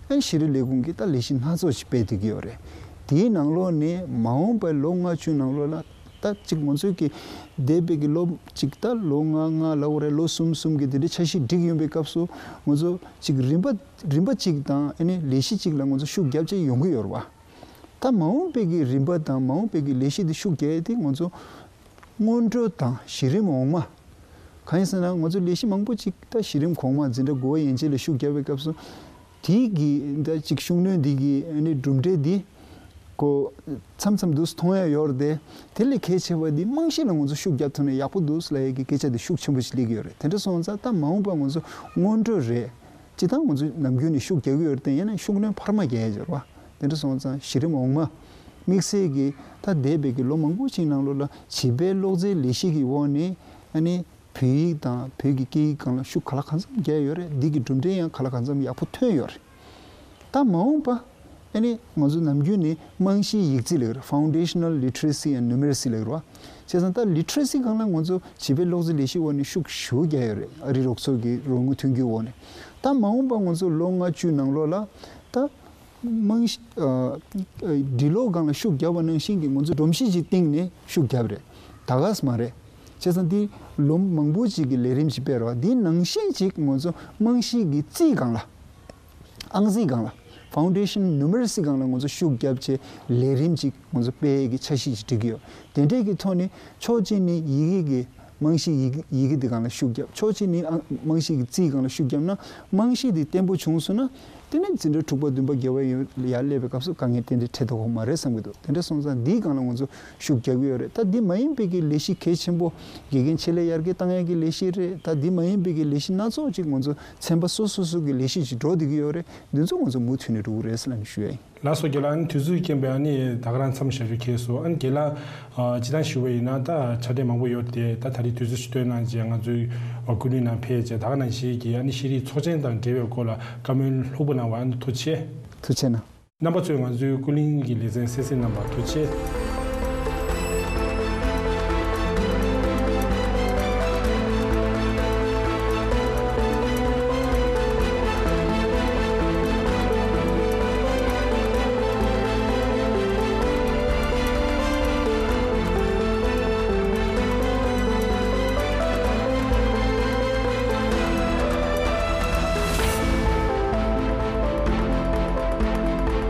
ཨ་ཤེས་རིག་ལས་ཁུངས་ཀྱིས་ད་ལས་གཞི་སྣ་ཚོགས་ཤིག་སྤེལ་བསྡད་ཀྱི་ཡོད་རེད། དེའི་ནང་ལོགས་ནས་མ་འོངས་པའི་ལོ་ལྔ་བཅུ་ནང་ལོགས་ལ་ད་ཅིག་ང་ཚོས་ཀྱི་འདས་པའི་གི་ལོ་ཅིག་ད་ལོ་ལྔ་ལྔ་ལབ་དགོས་རེད། ལོ་གསུམ་གསུམ་གྱི་དེ་འདྲའི་འཆར་གཞི་སྒྲིག་ཡོང་པའི་སྐབས་སུ་ང་ཚོ་ཅིག་རིམ་པ་རིམ་པ་ཅིག་དང་ཨ་ནི་ལས་གཞི་ཅིག་ལ་ང་ཚོ་ཤུགས་རྒྱབ་བྱས་ཡོང་གི་ཡོད་རེད་བ། ད་མ་འོངས་པའི་གི་རིམ་པ་དང་མ་འོངས་པའི་གི་ལས་གཞི་འདི་ཤུགས་རྒྱག་ཡས་དེ་ང་ཚོ་སྔོན་འགྲོ་དང་གཞི་རིམ་འོག་མ། གང་ཡིན་ཟེར་ན་ང་ཚོ་ལས་གཞི་མང་པོ་ཅིག་ད་གཞི་རིམ་གོང་མ་འཛིན་གྲྭ་དགུ་པ་ཡན་ཆད་ལ་ཤུགས་རྒྱག་པའི་སྐབས་སུ་དེའི་གི་ད་ཅིག་ཤུགས་སྣོན་འདི་གི་ཨ་ནི་གྲུབ་འབྲས་འདི་ཀོ་མཚམས་མཚམས་འདུག་མཐོང་ཡ་ཡོད་རེད་དེ། དེ་ལས་གལ་ཆེ་བ་འདི་རྨང་གཞི་ལ་ང་ཚོ་ཤུགས་རྒྱག་ཐུབ་ན་ཡག་པོ་འདུག་ལབ་ཡ་གི་སྐད་ཆ་འདི་ཤུགས་ཆེན་པོ་ཞིག་སླེབས་ཀྱི་ཡོད་རེད། དེ་འདྲ་སོང་ཙང་ད་མ་འོངས་པ་ང་ཚོ་སྔོན་འགྲོ་རེད། སྤྱིར་བཏང་ང་ཚོས་ནམ་རྒྱུན་ནས་ཤུགས་རྒྱག་གི་ཡོད་རེད་དེ། ཡིན་ན་ཤུགས་སྣོན་འཕར་མ་རྒྱག་ཡ་ཡོད་རེད་བ། དེ་འདྲ་སོང་ཙང་གཞི་རིམ་འོག་མ་དམིགས་བསལ་གྱི་ད་འདས་པའི་གི་ལོ་མང་པོ་ཞིག་ནང་ལོགས་ལ་བྱིས་པའི་ཀློག་རྩལ་ལས་གཞི་གི་འོག་ནས་ཨ་ནི་བོད་ཡིག་དང་བོད་ཀྱི་སྐད་ཡིག་སྒང་ལ་ཤུགས་ག་ལ་གང་འཚམ་རྒྱག་ཡོད་རེད། འདི་གི་གྲུབ་འབྲས་ཡང་ག་ལ་གང་འཚམ་ཡག་པོ་ཐོན་ཡོད་རེད། ད་མ་འོངས་པ་ཨ་ནི་ང་ཚོ་ནམ་རྒྱུན་ནས་རྨང་གཞིའི་ཡིག་རྩིས་ལབ་ཀྱི་རེད། Foundational Literacy and Numeracy ལབ་ཀྱི་རེད་བ། བྱས་ཙང་ད་ལི་ཊི་རེ་སི་སྒང་ལ་ང་ཚོ་བྱིས་པའི་ཀློག་རྩལ་ལས་གཞིའི་འོག་ནས་ཤུགས་ཞེ་པོ་རྒྱག་ཡོད་རེད། ཨ་རིའི་རོགས་ཚོགས་ཀྱི་རོགས་དངུལ་ཐོན་རྒྱུའི་འོག་ནས། ད་མ་འོངས་པ་ང་ཚོ་ལོ་ལྔ་བཅུའི་ནང་ལོགས་ལ་ད་རྨང་གཞི་ཨ་ཨ་འབྲི་ཀློག་སྒང་ལ་ཤུགས་རྒྱབ་པ་ནང་བཞིན་གྱི་ང་ཚོ་སྒྲོམ་གཞི་ཅིག་བཏིང་ནས་ཤུགས་རྒྱབ་རེད། ད་ག་སེ་མ་རེད། བྱས་ཙང་འདི་ལོ་མང་པོ་ཅིག་གི་ལས་རིམ་ཅིག་སྤེལ་རེད་བ། འདི་ནང་བཞིན་ཅིག་ང་ཚོ་རྨང་གཞི་གི་རྩིས་སྒང་ལ། ཨང་རྩིས་སྒང་ལ། Foundation Numeracy སྒང་ལ་ང་ཚོ་ཤུགས་རྒྱབ་བྱས་ལས་རིམ་ཅིག་ང་ཚོ་སྤེལ་ཡས་ཀྱི་འཆར་གཞི་ཅིག་སྒྲིག་གི་ཡོད། དེ་འདྲས་ཀྱི་ཐོག་ནས་ཕྱོགས་གཅིག་ནས་ཡི་གེ་གི་རྨང་གཞི་ཡི་གེ་ཡི་གེ་འདི་སྒང་ལ་ཤུགས་རྒྱབ། ཕྱོགས་གཅིག་ནས་ཨང་རྨང་གཞི་གི་རྩིས་སྒང་ལ་ཤུགས་རྒྱབ་ན་རྨང་གཞི་འདི་བརྟན་པོ་བྱུང་སོང་ན། དེ་ནས་འཛིན་གྲྭ་དྲུག་པ་བདུན་པ་བརྒྱད་པ་ཡོང་ཡར་སླེབས་པའི་སྐབས་སུ་དཀའ་ངལ་ཏན་ཏན་འཕྲད་མདོག་ཁ་པོ་མ་རེད་བསམ་གྱི་འདུག། དེ་འདྲ་སོང་ཙང་འདིའི་སྒང་ལ་ང་ཚོ་ཤུགས་རྒྱག་གི་ཡོད་རེད། ད་འདི་མ་ཡིན་པའི་གི་ལས་གཞི་གལ་ཆེན་པོ་དགེ་རྒན་ཆེད་ལས་ཡར་རྒྱས་བཏང་ཡས་ཀྱི་ལས་གཞི་རེད། ད་འདི་མ་ཡིན་པའི་གི་ལས་གཞི་སྣ་ཚོགས་ཅིག་ང་ཚོ་ཚན་པ་སོ་སོ་སོ་གི་ལས་གཞི་ཅིག་འགྲོ་བསྡད་ཀྱི་ཡོད་རེད། འདི་ཚོ་ང་ཚོ་མུ་མཐུད་ནས་འགྲོ་གི་རེད་ཟེར་ལབ་ནས་ཞུ་ཡ་ཡིན། ལགས་སོ་རྒན་ལགས། ཨ་ནི་དུས་ཚོད་རྐྱེན་པས་ཨ་ནི་ད་ག་རང་མཚམས་བཞག་རྒྱུ་ཁེལ་སོང་། ཨ་ནི་རྒན་ལགས་ཨ་སྤྱིར་བཏང་ཞུ་བ་ཡིན་ན་ད་ཕྱག་དེབ་མང་པོ་ཡོད་དེ། ད་ད་རེས་དུས་ཚོད་ཞིག་བཏོན་གནང་བྱས་ང་ཚོའི་ཨ་ཀུན་གླེང་ནང་ཕེབས་བྱས་ད་ག་ནང་བཞིན་གྱི་ཨ་ནི་ཤེས་རིག་ཚོགས་ཆེན་དང་འབྲེལ་བའི་སྐོར་ལ་བཀའ་མོལ་ལྷུག་པོ་གནང་བ་ཨ་ནི་ཐུགས་རྗེ་ཆེ། ཐུགས་རྗེ་གནང་། རྣམ་པ་ཚོས་ང་ཚོའི་ཀུན་གླེང་གི་ལེ་ཚན་གསན་གཟིགས་གནང་བར་ཐུགས་རྗེ་ཆེ།